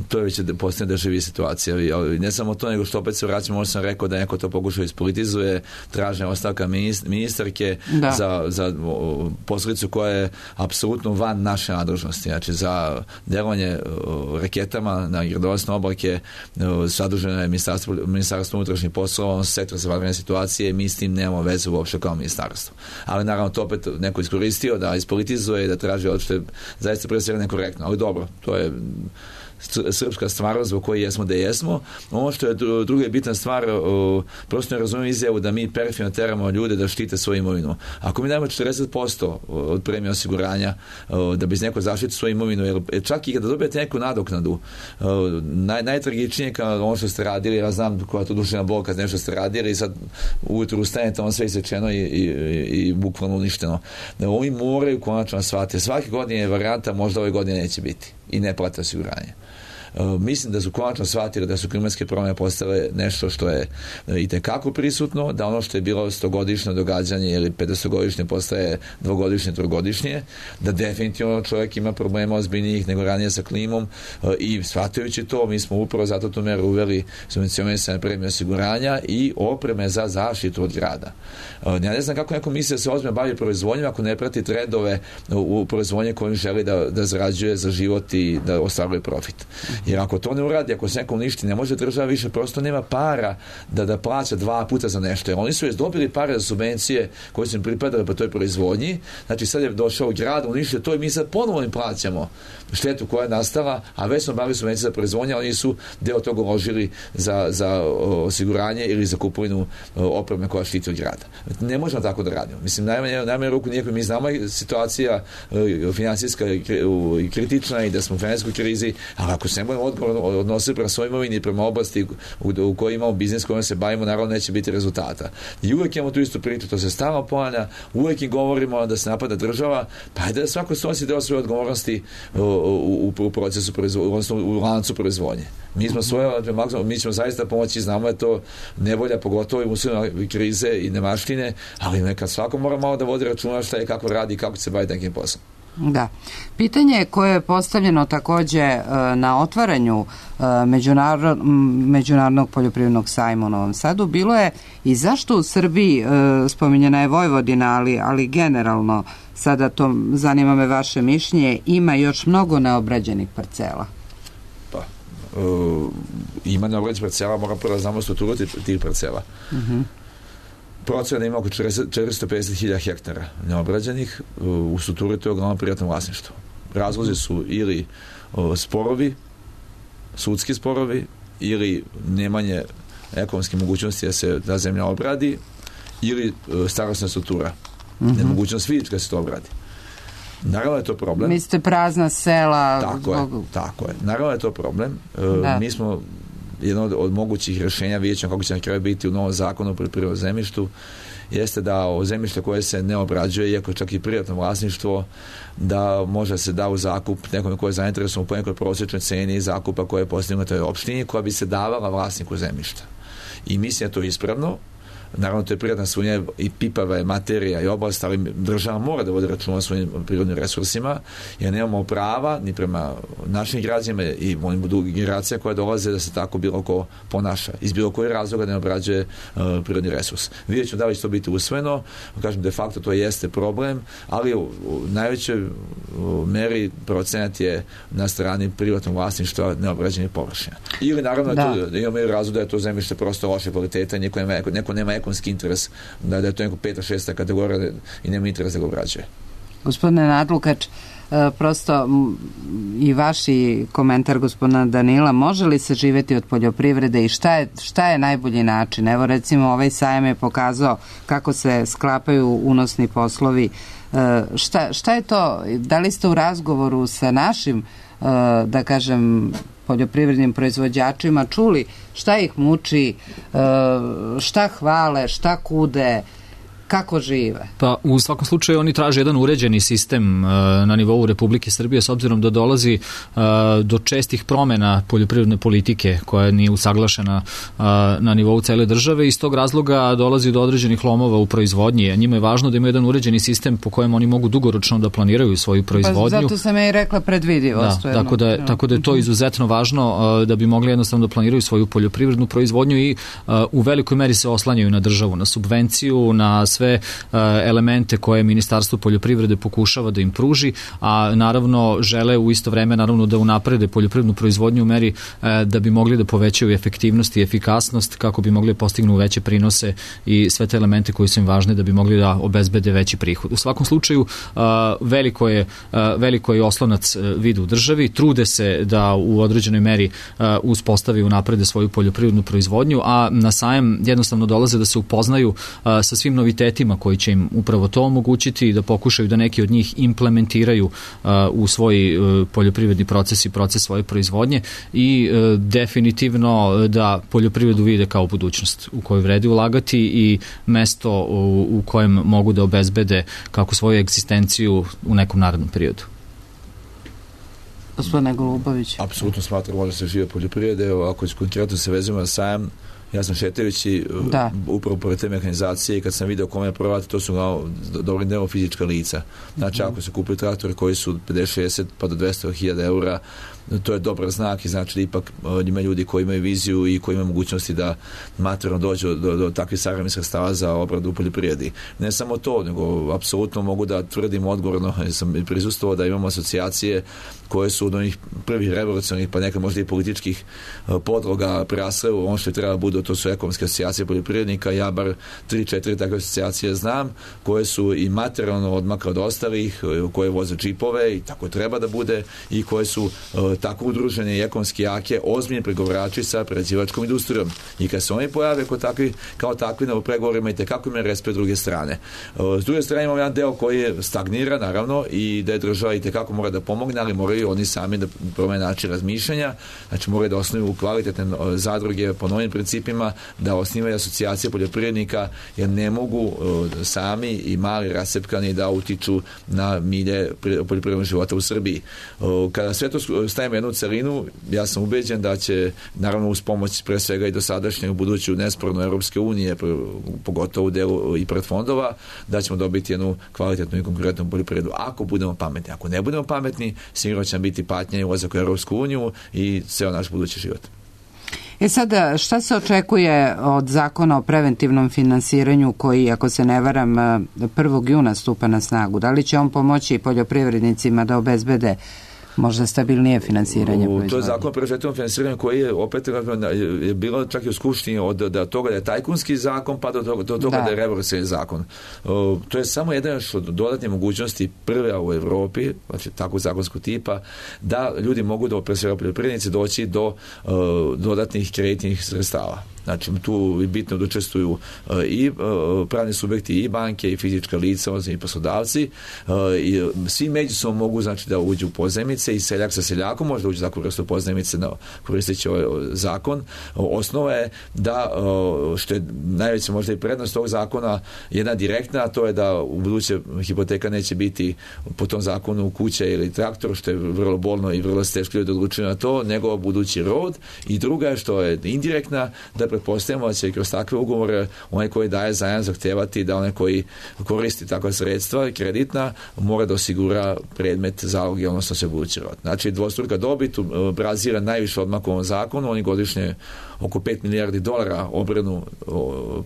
to je već postane da živi situacija. I ne samo to, nego što opet se vraćamo, možda sam rekao da neko to pokušao ispolitizuje, traže ostavka ministarke da. za, za posledicu koja je apsolutno van naše nadležnosti. Znači, za delovanje uh, raketama na gradonosne oblake uh, sadržano je ministarstvo, ministarstvo unutrašnjih poslova, on sektor za vanredne situacije, mi s tim nemamo vezu uopšte kao ministarstvo. Ali naravno to opet neko iskoristio da ispolitizuje i da traži ono što je zaista pre svega nekorektno. Ali dobro, to je srpska stvarnost zbog koje jesmo da jesmo. Ono što je druga bitna stvar, prosto ne razumijem izjavu da mi perfidno teramo ljude da štite svoju imovinu. Ako mi dajemo četrdeset posto od premije osiguranja da bi neko zaštiti svoju imovinu, jer čak i kada dobijete neku nadoknadu, naj, najtragičnije kao ono što ste radili, ja znam koja je to duševna bol kad nešto ste radili i sad ujutru ustanete, ono sve isečeno i, i, i, i bukvalno uništeno. Ovi moraju konačno shvatiti. Svake godine je varijanta, možda ove godine neće biti i ne plate osiguranje. Uh, mislim da su konačno shvatili da su klimatske promjene postale nešto što je uh, itekako prisutno, da ono što je bilo stogodišnje događanje ili petstogodišnje postaje dvogodišnje, trogodišnje, da definitivno čovjek ima problema ozbiljnijih nego ranije sa klimom uh, i shvatajući to, mi smo upravo zato tu meru uveli subvencionisane premije osiguranja i opreme za zaštitu od grada. Uh, ja ne znam kako neko misli da se ozbiljno bavi proizvodnjom ako ne prati trendove u proizvodnje kojim želi da, da zarađuje za život i da ostvaruje profit. Jer ako to ne uradi, ako se neko uništi, ne može država više, prosto nema para da da plaća dva puta za nešto. Jer oni su već dobili pare za subvencije koje su im pripadale po toj proizvodnji. Znači sad je došao u grad, uništio to i mi sad ponovo im plaćamo štetu koja je nastala, a već smo bavili subvencije za proizvodnje, oni su deo toga uložili za, za osiguranje ili za kupovinu opreme koja štiti od grada. Ne možemo tako da radimo. Mislim, najmanje, najmanje ruku nijako mi znamo situacija finansijska i kritična i da smo u finansijskoj krizi, ali ako se ne budemo odgovorno odnositi prema svojoj imovini i prema oblasti u, u kojoj imamo biznis kojom se bavimo, naravno neće biti rezultata. I uvijek imamo tu istu priču, to se stalno ponavlja, uvijek im govorimo da se napada država, pa je da svako snosi deo svoje odgovornosti u, u, u procesu proizvodnje, odnosno u lancu proizvodnje. Mi smo svoje, mi ćemo zaista pomoći, znamo je to nevolja, pogotovo i uslovima krize i nemaštine, ali nekad svako mora malo da vodi računa šta je, kako radi i kako se bavi nekim poslom. Da. Pitanje koje je postavljeno takođe na otvaranju međunarod, Međunarodnog poljoprivrednog sajma u Novom Sadu bilo je i zašto u Srbiji, spominjena je Vojvodina, ali, ali generalno, sada to zanima me vaše mišljenje, ima još mnogo neobrađenih parcela? Pa, uh, ima neobrađenih parcela, moram prvo da znamo strukturu tih parcela. Uh-huh. Procena ima oko četiristo pedeset hiljada hektara neobrađenih, u strukturi to je uglavnom privatno vlasništvo. Razlozi su ili o, sporovi, sudski sporovi, ili nemanje ekonomske mogućnosti da se ta zemlja obradi, ili o, starosna struktura. Mm-hmm. Nemogućnost fizička da se to obradi. Naravno je to problem. Mislite prazna sela? Tako je, tako je. Naravno je to problem. Da. Mi smo jedno od, od mogućih rješenja, vidjet ćemo kako će na kraju biti u novom zakonu o poljoprivrednom zemljištu, jeste da o zemljište koje se ne obrađuje, iako čak i privatno vlasništvo, da može se da u zakup nekome koje je zainteresovan po nekoj prosječnoj ceni zakupa koja je postavljena na toj opštini, koja bi se davala vlasniku zemljišta. I mislim da to je ispravno. Naravno, to je prirodna svojina i pipava je materija i oblast, ali država mora da vodi računa o svojim prirodnim resursima, jer nemamo prava ni prema našim građanima i onim drugim generacija koja dolaze da se tako bilo ko ponaša. Iz bilo koje razloga ne obrađuje uh, prirodni resurs. Vidjet ćemo da li će to biti usvojeno, kažem, de facto to jeste problem, ali u, u najvećoj u meri procenat je na strani privatnog vlasništva neobrađenih površina. Ili naravno da, to, da imamo razlog da je to zemljište prosto loše kvaliteta, neko nema, neko nema ekonomski interes, da, da je to neko peta, šesta kategorija i nema interes da ga obrađuje. Gospodine Nadlukač, prosto i vaši komentar gospodina Danila, može li se živeti od poljoprivrede i šta je, šta je najbolji način? Evo recimo ovaj sajam je pokazao kako se sklapaju unosni poslovi. Šta, šta je to? Da li ste u razgovoru sa našim, da kažem, poljoprivrednim proizvođačima čuli šta ih muči, šta hvale, šta kude, kako žive? Pa u svakom slučaju oni traže jedan uređeni sistem uh, na nivou Republike Srbije, s obzirom da dolazi uh, do čestih promena poljoprivredne politike koja nije usaglašena uh, na nivou cele države i iz tog razloga dolazi do određenih lomova u proizvodnji. A njima je važno da imaju jedan uređeni sistem po kojem oni mogu dugoročno da planiraju svoju proizvodnju. Pa zato sam ja i rekla predvidivost. Da, tako, da je, tako da je to izuzetno važno uh, da bi mogli jednostavno da planiraju svoju poljoprivrednu proizvodnju i uh, u velikoj meri se oslanjaju na državu, na subvenciju, na sve elemente koje Ministarstvo poljoprivrede pokušava da im pruži, a naravno žele u isto vreme naravno da unaprede poljoprivrednu proizvodnju u meri da bi mogli da povećaju efektivnost i efikasnost kako bi mogli da postignu veće prinose i sve te elemente koji su im važne da bi mogli da obezbede veći prihod. U svakom slučaju veliko je, veliko je oslonac vide u državi, trude se da u određenoj meri uspostavi i unaprede svoju poljoprivrednu proizvodnju, a na sajam jednostavno dolaze da se upoznaju sa svim novitetima koji će im upravo to omogućiti i da pokušaju da neki od njih implementiraju uh, u svoj uh, poljoprivredni proces i proces svoje proizvodnje i uh, definitivno da poljoprivredu vide kao budućnost u kojoj vredi ulagati i mesto u, u kojem mogu da obezbede kako svoju egzistenciju u nekom narednom periodu. Gospodine Golubović. Apsolutno smatram, može se žive poljoprivrede. Evo, ako konkretno se vezimo na sajam, Ja sam šetajući da. upravo pored te mehanizacije i kad sam video kome je prodati, to su dobrim delom fizička lica. Znači, ako se kupuju traktore koji su pedeset šezdeset pa do dvesta hiljada eura, to je dobar znak i znači da ipak ima ljudi koji imaju viziju i koji imaju mogućnosti da materijalno dođu do, do takvih savremenih sredstava za obradu u poljoprivredi. Ne samo to, nego apsolutno mogu da tvrdim odgovorno, jer sam prisustvovao da imamo asocijacije koje su od onih prvih revolucionarnih, pa nekad možda i političkih podloga prerasle u ono što je treba budu, to su ekonomske asocijacije poljoprivrednika. Ja bar tri četiri takve asocijacije znam, koje su i materijalno odmakle od ostalih, koje voze džipove i tako treba da bude i koje su tako udružene i ekonomski jake, ozbiljni pregovarači sa prerađivačkom industrijom. I kad se oni pojave kao takvi, kao takvi na pregovorima i tekako imaju respekt druge strane. S druge strane imamo jedan deo koji je stagnira, naravno, i da je država i tekako mora da pomogne, ali moraju oni sami da promene način razmišljanja, znači moraju da osnuju kvalitetne zadruge po novim principima, da osnivaju asocijacije poljoprivrednika, jer ne mogu sami i mali rasepkani da utiču na milje poljoprivrednog života u Srbiji. Kada sve to stavimo jednu celinu, ja sam ubeđen da će, naravno uz pomoć pre svega i dosadašnjeg buduću nesporno Europske unije, pogotovo u delu i predfondova, da ćemo dobiti jednu kvalitetnu i konkurentnu poljoprivredu. Ako budemo pametni, ako ne budemo pametni, sigurno će nam biti patnja i ulazak u Europsku uniju i ceo naš budući život. E sada, šta se očekuje od zakona o preventivnom finansiranju koji, ako se ne varam, prvog juna stupa na snagu? Da li će on pomoći poljoprivrednicima da obezbede možda stabilnije finansiranje proizvodnje? To je zakon o preventivnom finansiranju koji je opet je bilo čak i u Skupštini od da toga da je tajkunski zakon pa do toga, do toga da. da je revolucionarni zakon. O, to je samo jedan od dodatne mogućnosti prve u Evropi, znači takvog zakonskog tipa, da ljudi mogu da pre svega poljoprivrednici doći do uh, dodatnih kreditnih sredstava. Znači, tu je bitno da učestvuju uh, i uh, pravni subjekti, i banke, i fizička lica, i poslodavci. Uh, i svi međusobno mogu, znači, da uđu u pozajmice i seljak sa seljakom može da uđu za vrstu pozajmice na koristeći ovaj zakon. Uh, osnova je da, uh, što je najveća možda i prednost tog zakona, jedna direktna, a to je da u buduće hipoteka neće biti po tom zakonu kuća ili traktor, što je vrlo bolno i vrlo teško ljudi odlučuju na to, nego budući rod. I druga je što je indirektna, da pretpostavljamo da će kroz takve ugovore onaj koji daje zajam zahtevati da onaj koji koristi takva sredstva kreditna mora da osigura predmet zaloge, odnosno se budući rod. Znači dvostruka dobit Brazila najviše odmah u ovom zakonu, oni godišnje oko pet milijardi dolara obrnu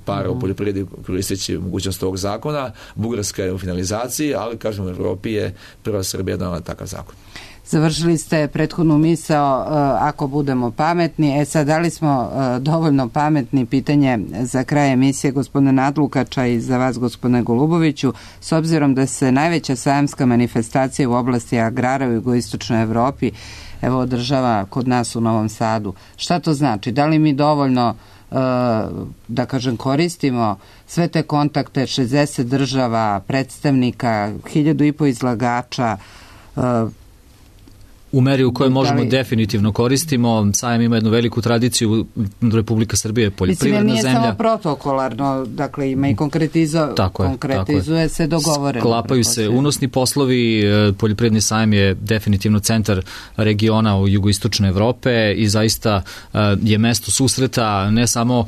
para u poljoprivredi koristeći mogućnost ovog zakona. Bugarska je u finalizaciji, ali kažem u Evropi je prva Srbija donela takav zakon. Završili ste prethodnu misao uh, ako budemo pametni. E sad, da li smo uh, dovoljno pametni? Pitanje za kraj emisije gospodina Nadlukača i za vas gospodine Goluboviću. S obzirom da se najveća sajamska manifestacija u oblasti agrara u jugoistočnoj Evropi evo održava kod nas u Novom Sadu. Šta to znači? Da li mi dovoljno uh, da kažem koristimo sve te kontakte, šezdeset država, predstavnika, hiljadu i po izlagača, uh, u meri u kojoj možemo li... definitivno koristimo. Sajam ima jednu veliku tradiciju, Republika Srbije je poljoprivredna zemlja. Mislim, nije samo protokolarno, dakle ima i konkretizo... tako je, konkretizuje tako se dogovoreno. Sklapaju se unosni poslovi, poljoprivredni sajam je definitivno centar regiona u jugoistočne Evrope i zaista je mesto susreta ne samo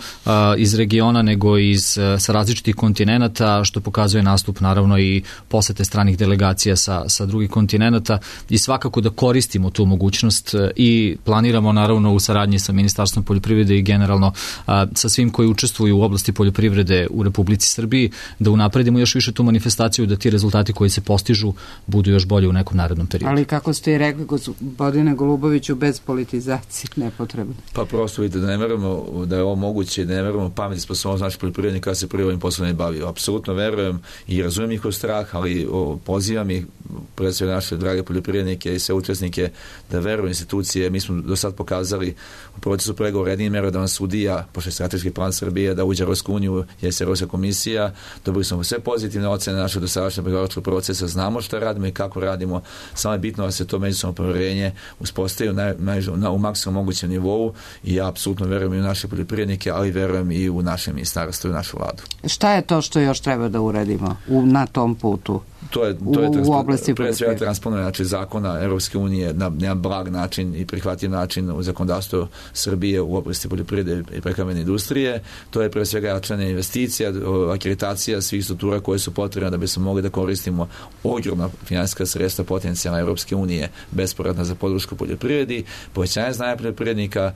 iz regiona nego i iz, sa različitih kontinenata, što pokazuje nastup naravno i posete stranih delegacija sa, sa drugih kontinenata i svakako da koristi tu mogućnost i planiramo naravno u saradnji sa Ministarstvom poljoprivrede i generalno a, sa svim koji učestvuju u oblasti poljoprivrede u Republici Srbiji da unapredimo još više tu manifestaciju, da ti rezultati koji se postižu budu još bolje u nekom narednom periodu. Ali kako ste i rekli gospodine Goluboviću, bez politizacije nepotrebno. Pa prosto vidite da ne verujemo da je ovo moguće, da ne verujemo pameti sposobnost naših poljoprivrednika kada se prije ovim poslom ne bavio. Apsolutno verujem i razumijem njihov strah, ali o, pozivam ih pred sve naše drage poljoprivrednike i sve učesnike da veruju institucije. Mi smo do sad pokazali u procesu pregovora jednim merodavna sudija, pošto je strateški plan Srbije da uđe u Evropsku uniju, je se Evropska komisija, dobili smo sve pozitivne ocene našeg dosadašnjeg pregovaračkog procesa, znamo šta radimo i kako radimo, samo je bitno da se to međusobno poverenje uspostavi na, na, u maksimum mogućem nivou i ja apsolutno verujem i u naše poljoprivrednike, ali verujem i u naše ministarstvo i u našu vladu. Šta je to što još treba da uradimo u, na tom putu? To je, to je u, u oblasti pre svega transponovanje znači, zakona Europske unije na jedan blag način i prihvatljiv način u zakonodavstvo Srbije u oblasti poljoprivrede i prehrambene industrije. To je pre svega jačanje investicija, akreditacija svih struktura koje su potrebne da bi se mogli da koristimo ogromna finansijska sredstva potencijalna Europske unije bespovratna za podršku poljoprivredi, povećanje znanja poljoprivrednika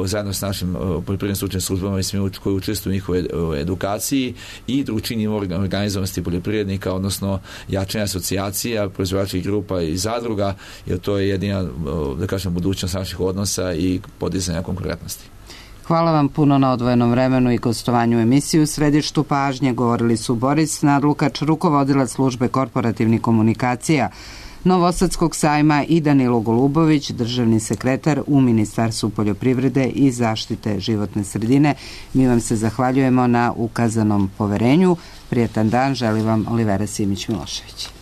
zajedno s našim poljoprivrednim stručnim službama i svim koji učestvuju u njihovoj edukaciji i drugačiji organizovanosti poljoprivrednika, odnosno jačanje asocijacija, proizvođačkih grupa i zadruga, jer to je jedina, da kažem, budućnost naših odnosa i podizanja konkurentnosti. Hvala vam puno na odvojenom vremenu i gostovanju u emisiju. U središtu pažnje govorili su Boris Nadlukač, rukovodilac službe korporativnih komunikacija Novosadskog sajma i Danilo Golubović, državni sekretar u Ministarstvu poljoprivrede i zaštite životne sredine. Mi vam se zahvaljujemo na ukazanom poverenju. Prijetan dan, želi vam Olivera Simić-Milošević.